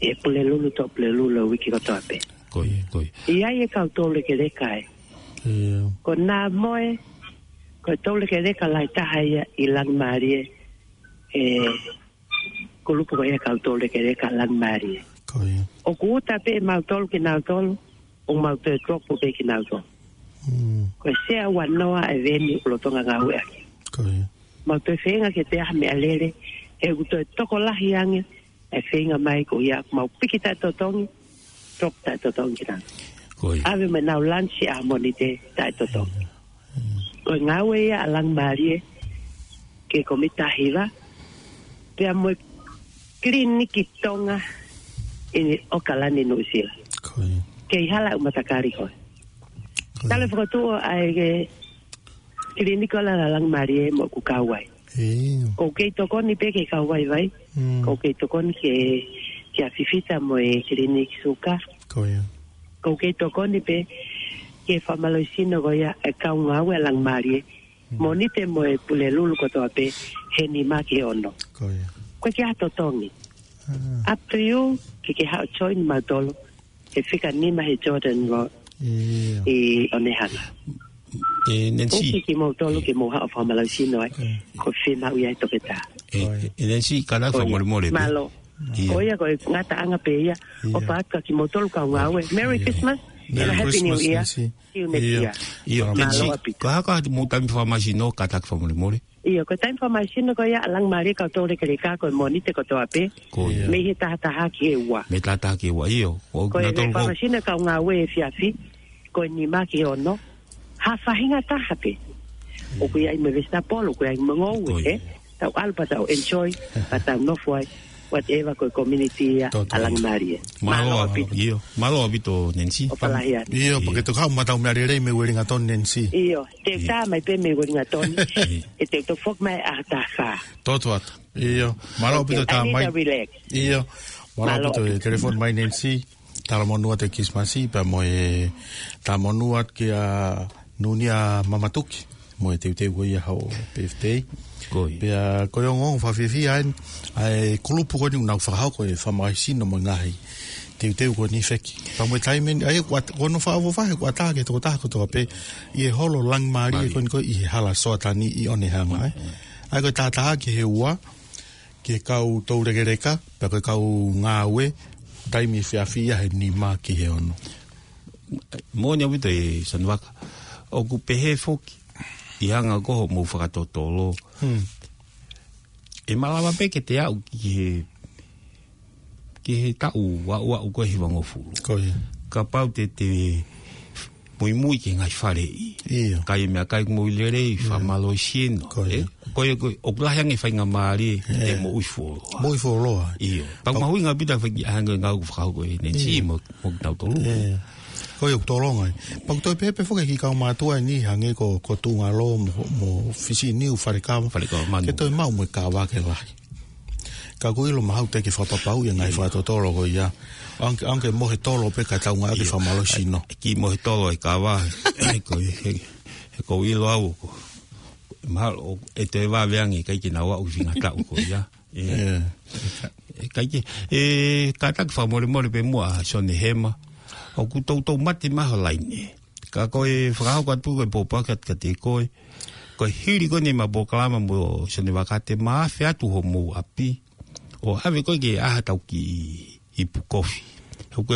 ʻe Pulelulu, Toʻa Pulelulu, uike kotoa pē. Ko ia, ko ia. ʻI ai e kau toulekeleka ē. ʻIo. Ko Namoe, ko e toulekeleka lahi taha ia ʻi Langimālie, ʻe kulupu ko ia kau toulekeleka Langimālie. Ko ia. ʻOku uta pē ʻemautolu kinautolu, ʻo mau toe drop pē kinautolu. Mm. Ko e sea ua noa e venue ʻoku lolotonga ngāueʻaki. Ko ia. Mau toe feinga ke te aha meʻalele, he ʻoku toe tokolahi ange, e feinga mai ko ia, mau piki taʻetotongi, drop taʻetotongi kinautolu. Ko ia. ʻAve mai nau lunch ʻa Mōnite taʻetotongi. Mm. Ko e ngāue ia ʻa Langimālie, ki he komiti taha hiva, pea mo e kiliniki Tonga ʻi ʻOkalani, Nuʻusila. Ko ia. Kei hala ʻeku matakali ko ē. Ko ia. Tala fokotuʻu ʻa e kiliniki ʻo Langimālie mo ʻeku kau ai. ʻIo. ʻOku kei tokoni pē ki he kau vaivai. Mm. ʻOku kei tokoni ki he, ki he fifita mo e kiliniki suka. Ko ia. ʻOku kei tokoni pē ki he fakamālohisino ko ia e kau ngāue ʻa Langimālie. Mm. Mōnite mo e Pulelulu kotoa pē he nima ki he ono. Ko ia. Ko e ke ʻa totongi. Ah. Up to you, ke ke haʻu join mautolu. He fika nima he Jordan Road. ʻIo. ʻI ʻOnehunga. ʻE, Nancy. ʻOku kimoutolu ke mou haʻu ʻo fakamālohisino ai. ʻE. Ko e fiemaʻu ia e toketā. ʻE, ʻOi. ʻE, Nancy, kātaki ʻOi. fakamolemole pē. Mālō. ʻIo. ʻOi, ko e ngataʻanga pē ia. ʻIo. ʻOfa atu kia kimoutolu kau ngāue. Merry ʻIo. Christmas and a Merry Happy New Christmas, Year. Nancy. See you next ʻIo. year. ʻIo, Mālō Nancy, ʻaupito. Ka hoko atu mo e taimi fakamālohisino, kātaki fakamolemole. ʻIo, ko e taimi fakamālohisino ko ia ʻa Langimālie kau toulekeleka ko e Mōnite kotoa pē. Ko ia. Mei he taha taha ki he ua. Mei he taha taha ki he ua, ʻio. Ko e fakamālohisino kau ngāue efiafi, ko e nima ki he ono. Ha faʻahinga taha pē. ʻIo. ʻOku ʻi ai mo e vesitapolo, ʻoku ʻi ai mo e ngoue, Ko ia. ē? Tau ʻalu pea tau enjoy, pea tau nofo ai, whatever ko e community ia, Toto. ʻa Langimālie. Mālō Mālō ʻaupito. ʻaupito. ʻIo, mālō ʻaupito, Nancy. ʻOfa lahi atu. ʻIo, ʻIo. pea ke toki haʻu mautolu meʻalele mei Uelingatonu, Nancy. ʻIo, te u ʻIo. tā mai pē mei Uelingatonu. ʻIo. ʻE te u toki foki mai ʻaho taha fā. Toto atu. ʻIo, mālō ʻaupito Okay, tā I need mai. a relax. ʻIo, mālō Mālō ʻaupito e ʻaupito. telefoni mai Nancy. Talamonū atu e Kilisimasi, pea mo e talamonū atu kia Nunia Mamatuki, mo e teuteu ko ia hoʻo birthday. Ko ia. Pea ko e ongoongo fakafiefia eni, ʻa e kulupu ko eni ʻoku nau fakahoko e fakamālohisino mo e ngaahi teuteu ko eni feki. Pea mo e taimi eni, ʻa ia ʻoku ʻat-, ʻoku nau fakaʻofoʻofa he ʻoku ʻatā ki he tokotaha kotoa pē, ʻi he holo Langimālie Mālie. ko eni ko ē ʻi he hala Soatani ʻi ʻOnehunga, ē. Mm, mm. ʻA ia ko e taha taha ki he ua, ki he kau toulekeleka, pea ko e kau ngāue, taimi efiafi ia he nima ki he ono. Moʻoni ʻaupito ē Sanuvaka. ʻOku pehē foki, ʻi he anga ko hoʻomou fakatotolo. Hmm. ʻE malava pē ke te aʻu ki he, ki he taʻu ʻa ʻoku ʻi ai e hivangofulu. Ko ia. Kapau te te muimui ki he ngaahi faleʻi. ʻIo. Kai e meʻakai ʻoku mou lelei, fakamālō siʻi ʻena. Ko ia. Ē? Ko ia, ko ia, ʻoku lahi ange e faingamālie, ʻe, te moʻui fuoloa. Moʻui fuoloa. ʻIo. Pea ʻoku mahuʻinga ʻaupito e fai ki he ngāue ʻoku fakahoko ʻe Nancy mo, mo kitautolu. ʻE. Ko ia ʻoku tolonga ai. Pea ʻoku toe pehē pē foki e kiʻi kau mātuʻa ni hangē ko, ko Tuʻungalo mo, mo Fisi Niu Falekava. Falekava Manu. Ke toe maʻu mo e kava ke lahi. Ka ʻoku ou ʻilo mahalo te ke fakapapauʻi e ngaahi fakatotolo ko ia. ʻOange, ʻoange ke mohe tolo pē ka tau ngāueʻaki e fakamālō sino. Kiʻi mohe tolo e kava. Ko e, he, he ʻoku ou ʻilo au ko. Mahalo, ʻe toe vave ange, ʻikai ke nau aʻu ki he ngataʻu ko ia. ʻE, ʻe, ʻikai ke, ʻe, kātaki fakamolemole pē muʻa Sione Hema. ʻOku toutou mate mai ho laine. Ka ko e fakahoko atu ko e pōpoaki atu kiate koe. Ko e hili ko eni ʻema polokalama mo Sione Vakate mā afe atu homou ʻapi. ʻO ʻave koe ke ʻai haʻatau kiʻi ipu kofi. ʻOku ke,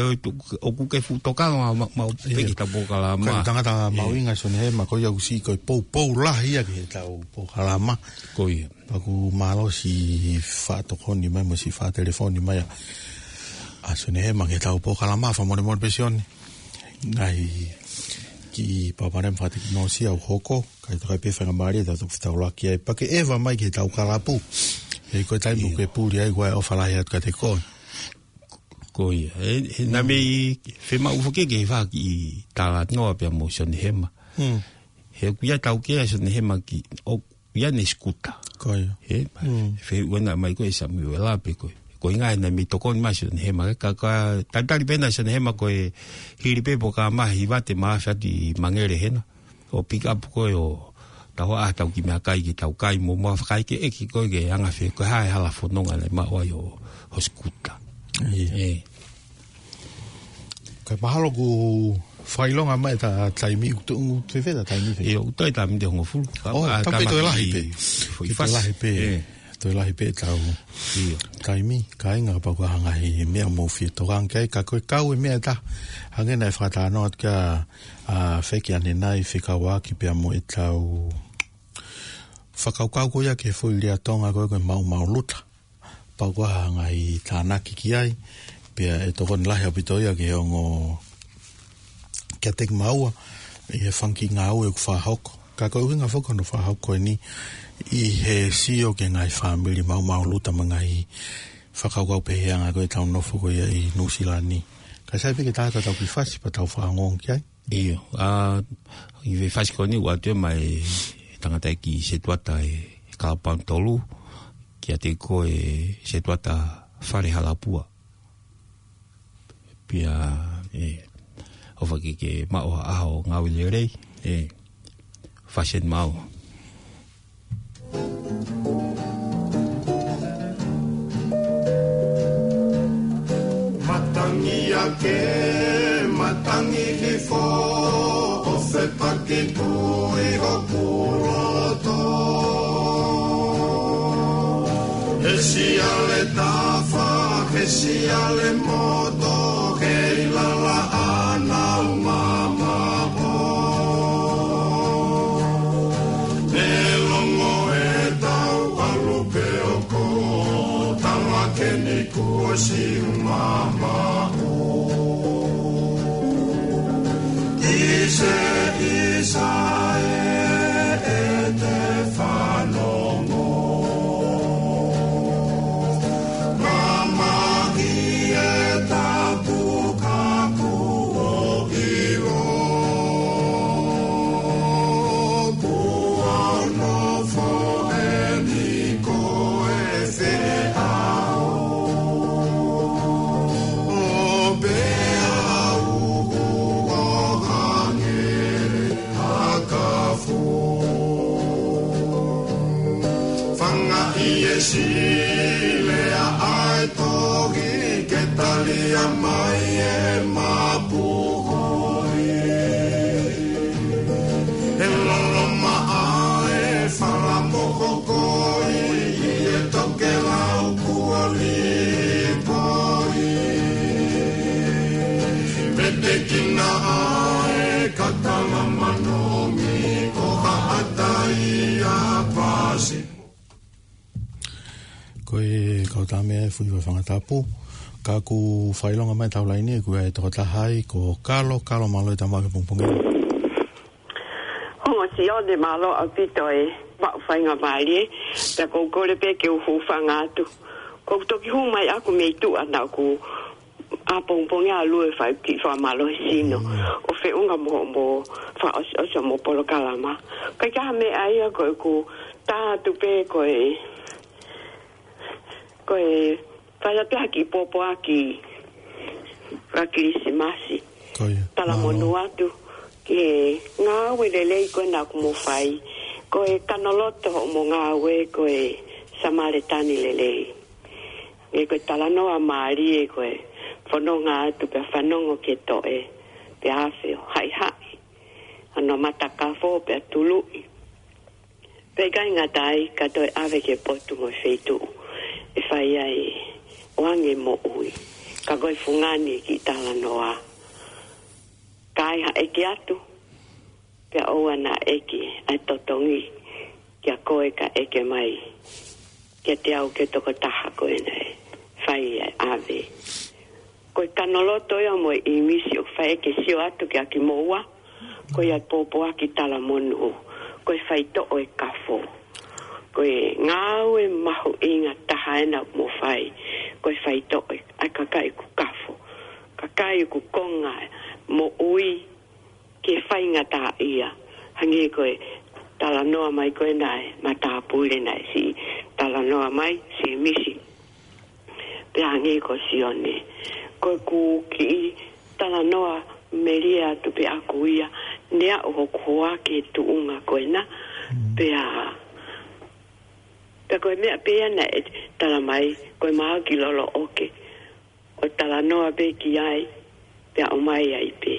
ʻoku ke fuʻu tokanga ma, ma, ma, pē ki heʻetau polokalama. Ko e tangata mahuʻinga Sione Hema, ko ia ʻoku siʻi ko e poupou lahi ia ki heʻetau polokalama. Ko ia. Pea ʻoku mālō siʻi faʻa tokoni mai, mo siʻi faʻa telefoni mai ʻa, ʻa Sione Hema ki heʻetau polokalama, fakamolemole pē Sione. Ngaahi kiʻi palopalema fakatekinolosia ʻoku hoko, kae toki ʻi ai pē faingamālie, tau toki fetaulaki ai. Pea ke ʻeva mai ki heʻetau kalapu. ʻE, ko e taimi ʻoku ke puli ai, ko e ʻofa lahi atu kiate koe. Ko ia. ʻE, ʻe, naʻa mei, fiemaʻu foki ke fai ha kiʻi talanoa pea mo Sione Hema. He ʻoku ʻi ai e taukei ʻa Sione Hema ki, ʻoku ʻi ai ʻene sikuta. Ko ia. He, fehuʻi ʻena mai ko ē Samuela pe ko e. Ko e ʻuhinga naʻa mei tokoni mai Sione Hema, ka, ka, talitali pē ʻena Sione Hema ko e hili pē polokalama hiva te ma fati mangele hena. ʻO pick up ko ē ʻo tau ʻai haʻatau kiʻi meʻakai ke tau kai mo ma fakaʻekeʻeke ko ē ke anga fē ko e hā e hala fononga naʻe maʻu ai ho, ho sikuta. ʻIo. ʻE. Kae mahalo kuo fakaʻilonga mai ʻeta taimi, ʻoku tuʻunga fēfē ʻeta taimi fē? ʻIo, ʻoku toe taimi ʻe hongofulu. ʻO, ʻa, taimi toe lahi pē. Toe lahi pē. ʻE. Toe lahi pē ʻetau taimi, kāinga, kapau ko e hā e ngaahi meʻa ʻoku mou fie tokanga ki ai, ka ko e kau e meʻa ʻe taha. Hangē naʻe fakatalanoa atu kia, ʻa, Feki ʻanenai fekauʻaki pea mo ʻetau fakakaukau ko ia ki he foʻi lea Tonga ko ē ko e maʻumaʻuluta. Pau ko e hā e ngaahi tānaki ki ai, pea ʻe tokoni lahi ʻaupito ia ki he ongo kiate kimaua, ʻi he fanga kiʻi ngāue ʻoku fakahoko. Ka ko e ʻuhinga foki hono fakahoko eni, ʻi he sio ki he ngaahi fāmili maʻumaʻuluta mo e ngaahi fakakaukau pehē ʻa e anga ko ē ʻetau nofo ko ia ʻi Nuʻusila ni. Kae sai pē ke tau ʻai haʻatau kiʻi fasi pea tau fakaongoongo ki ai. ʻIo, ʻa, ʻi he fasi ko eni ʻoku ʻoatu ia mei he tangataʻeiki setuata ʻi he Kalapu Tolu, kiate koe setuata Fale Halapua. Pea, ʻe, ʻofa ke ke maʻu ha ʻaho ngāue lelei, ʻe, fasi eni maʻu. Matangi ake, matangi hifo, ʻo fepaki pē ʻi hoku loto. He siale tafa, he siale moto, he ʻilala ʻa e nau mamaʻo. Ne longo ʻetau ʻalu pē ʻo ko tala ke ni kuo siʻi mamaʻo. ʻIse, ʻIsa ē, ʻe te fanongo. Mamahi e tapu ka kuo ʻilo. Kuo nofo eni ko e feʻao. ʻO pea uhu ʻo hangē ha kafu. Fangaʻi e silea ʻa e tohi ke talia mai e mapuhoi. He loloma ʻa e fala mohokoi ʻi he tokelau kuo lipoi. Petekina ʻa e katala manomi ʻo haʻatai ʻa Pasi. Ko e kau tama ē Fuivaifangatapu, ka ʻoku fakaʻilonga mai ʻetau laine, ko e tokotaha ia ko Kalo, Kalo mālō e tama ki he pongipongi. Ongo Sione mālō ʻaupito e maʻu faingamālie, pea ʻoku ou kole pē ke u hūfanga atu. ʻOku ou toki hū mai ʻaku mei tuʻa naʻa ku ʻapongipongi ʻalu e fai ki fakamālohisino. Mm. ʻO feʻunga mo, mo fakaʻosiʻosi mo polokalama. Ka ʻikai ha meʻa ia ko ʻeku tā atu pē ko e, ko e fai atu ha kiʻi pōpoaki faka-Kilisimasi. Ko ia. Talamonū atu ki he ngāue lelei ko ē naʻa mo fai. Ko e kanoloto hoʻomo ngāue ko e Samalitani lelei. Hangē ko e talanoa mālie ko e fononga atu pea fanongo ki he toʻe, pea afe ʻo haʻihaʻi hono matakafo pea tuluʻi. Pea ʻikai ngata ai ka toe ʻave ki he potu mo e feituʻu ʻe fai ai ʻo ange moʻui. Ka ko e fungani e kiʻi talanoa. Ka ai ha ʻeke atu, pea ʻoua naʻa ʻeke ʻa e totongi kia koe ka ʻeke mai kiate au ki he tokotaha ko ē naʻe fai ʻa e ʻave. Ko e kanoloto ia mo e ʻīmisi ʻoku fai ke sio atu kia kimoua, ko ia pōpoaki talamonū, ko e faitoʻo e kafo. Ko e ngāue mahuʻinga taha ena mo fai, ko e faitoʻo e, ʻa e kakai ʻoku kafo. Kakai ʻoku konga moʻui ke faingataʻaʻia. Hangē ko e talanoa mai ko ē naʻe matāpule naʻe siʻi talanoa mai, Sēmisi. Pea hangē ko Sione. Ko ʻeku kiʻi talanoa melie atu pē ʻaku ia, ne aʻu hoku hoa ki he tuʻunga ko ena. Mm. Pea, pea ko e meʻa pē ia naʻe tala mai, ko e mahaki loloʻoke. ʻO talanoa pē ki ai, pea ʻomai ai pē.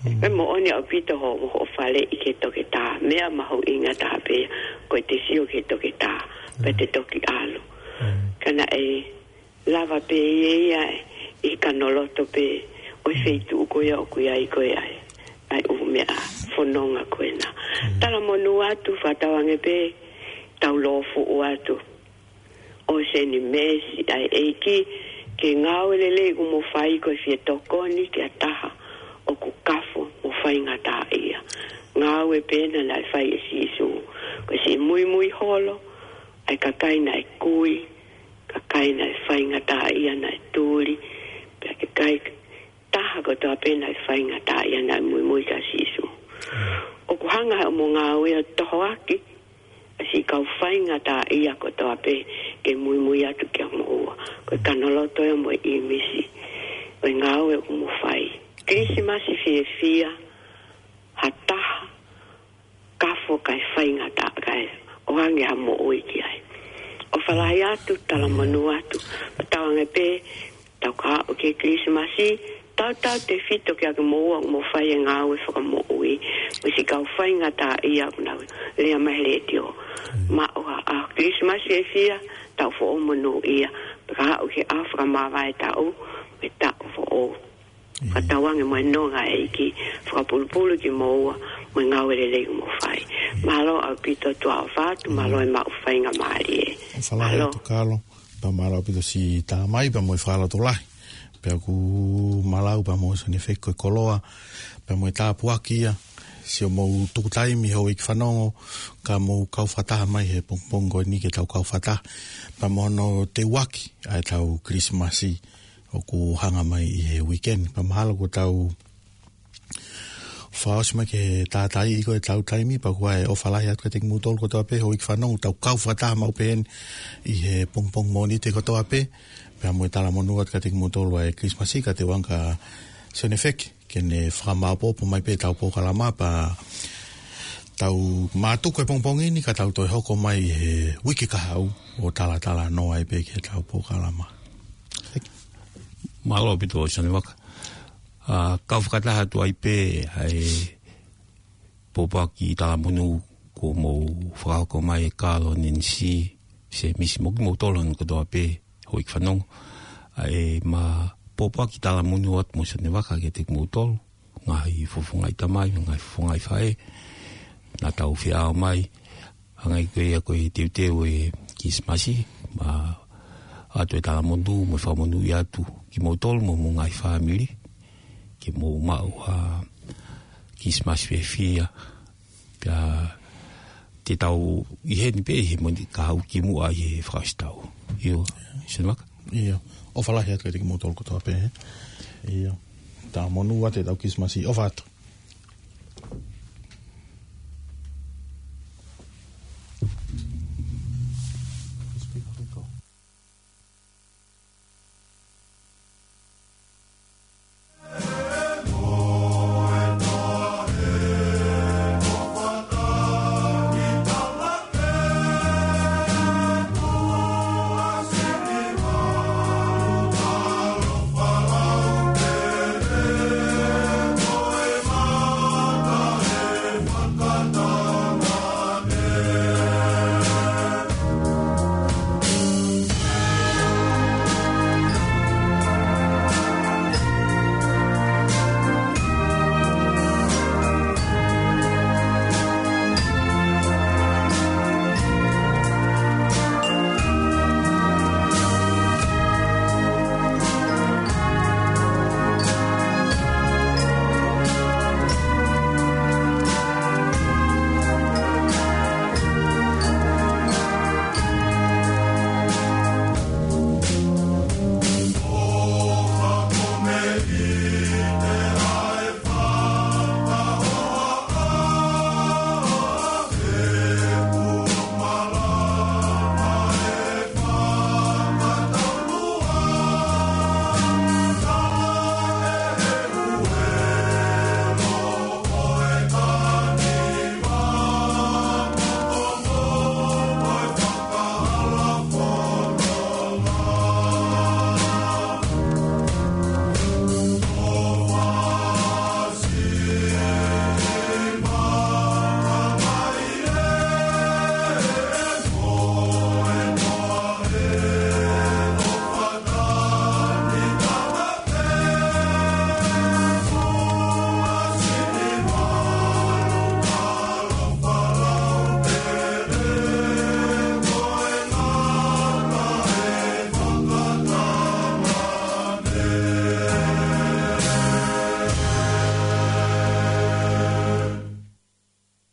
Mm. Pea moʻoni ʻaupito hoʻo, hoʻo faleʻi ki he toketā, meʻa mahuʻinga taha pē, ko e te sio ki he toketā, pea te toki ʻalu. Mm. Ka naʻe lava pē ia ia ʻi he kanoloto pē ʻo e feituʻu ko ia ʻoku ʻi ai ko ē ʻa e, ʻa e ʻū meʻa fononga ko ena. Mm. Talamonū atu, fakatauange pē, tau lōfuʻu atu ʻo seni meesi ʻa e ʻEiki, ke ngāue lelei ʻoku mo fai ko e fie tokoni ki ha taha ʻoku kafo mo faingataʻaʻia. Ngāue pē ena naʻe fai ʻe Sīsū. Ko e siʻi muimui holo ʻa e kakai naʻe kui, kakai naʻe faingataʻaʻia naʻe tuli, pea kakai taha kotoa pē naʻe faingataʻaʻia naʻe muimui kia Sīsū. ʻOku hanga ʻe hoʻomo ngāue ʻo tohoaki ʻa e siʻi kau faingataʻaʻia kotoa pē ke muimui atu kia moua. Ko e kanoloto ia mo e ʻīmisi ʻo e ngāue ʻoku mo fai. Kilisimasi fiefia, ha taha kafo kae faingataʻa kae ʻoange ha moʻui ki ai. ʻOfa lahi atu, talamonū atu, fakatauange pē, tau ka aʻu ki he Kilisimasi, tautautefito kia kimoua ʻoku mo fai e ngāue fakamoʻui, mo e siʻi kau faingataʻaʻia ʻoku nau lea mai he letiō. Mm. Maʻu ha ʻaho Kilisimasi fiefia, tau foʻou monūʻia, pea ka aʻu ki he ʻaho fakamāvae taʻu, mo e taʻu foʻou. Mm. Fakatauange mo e nonga ʻa e ʻEiki, fakapulupulu kimoua, mo e ngāue lelei ʻoku mo fai. Mm. Mālō ʻaupito, tuʻa ʻofa atu, mālō e maʻu faingamālie. ʻOfa lahi atu Kalo. Pea mālō ʻaupito siʻi tā mai, pea mo e fakalotolahi. Pea ʻoku malau pea mo Sione Feki ko e koloa, pea mo e tāpuaki ia, siʻomou tuku taimi houʻeiki fanongo, ka mou kau fakataha mai he pongipongi ko eni ke tau kau fakataha. Pea mo hono teuaki ʻa ʻetau Kilisimasi ʻoku hanga mai ʻi he weekend. Pea mahalo kuo tau fakaʻosi mai ke tātaaʻi ko ʻetau taimi, pea ʻoku ʻai ʻofa lahi atu kiate kimoutolu kotoa pē, houʻeiki fanongo, tau kau fakataha maʻu pē heni ʻi he pongipongi Mōnite kotoa pē, pea mo e talamonū atu kiate kimoutolu ʻa e Kilisimasi, ka teuange kia Sione Feki, ke ne fakamāopoopo mai pē ʻetau polokalama, pea tau mātuku e pongipongi ni, ka tau toe hoko mai he uike kahaʻu, ʻo talatalanoa ai pē ki heʻetau polokalama. Mālō ʻaupito Sione Vaka. ʻA, kau fakataha atu ai pē ʻa e pōpoaki talamonū kuo mou fakahoko mai ʻe Kalo, Nenisi, Sēmisi mo kimoutolu hono kotoa pē, houʻeiki fanongo. ʻA e ma pōpoaki talamonū atu mo Sione Vaka kiate kimoutolu, ngaahi fofongaʻi tamai, ngaahi fofongaʻi faʻē, naʻa tau feʻao mai, hangē ko ia ko e teuteu e Kilisimasi, ma ʻoatu e talamonū mo e fakamonūʻia atu kimoutolu mo homou ngaahi fāmili, ke mou maʻu ha Kilisimasi fiefia. Pea te tau ʻi heni pē ʻi he Mōnite kahaʻu kimuʻa ʻi he fakaʻosi taʻu. ʻIo, Seni Maka. ʻIo, ʻofa lahi atu kiate kimoutolu kotoa pē, ē. ʻIo, talamonū atu e tau Kilisimasi, ʻofa atu.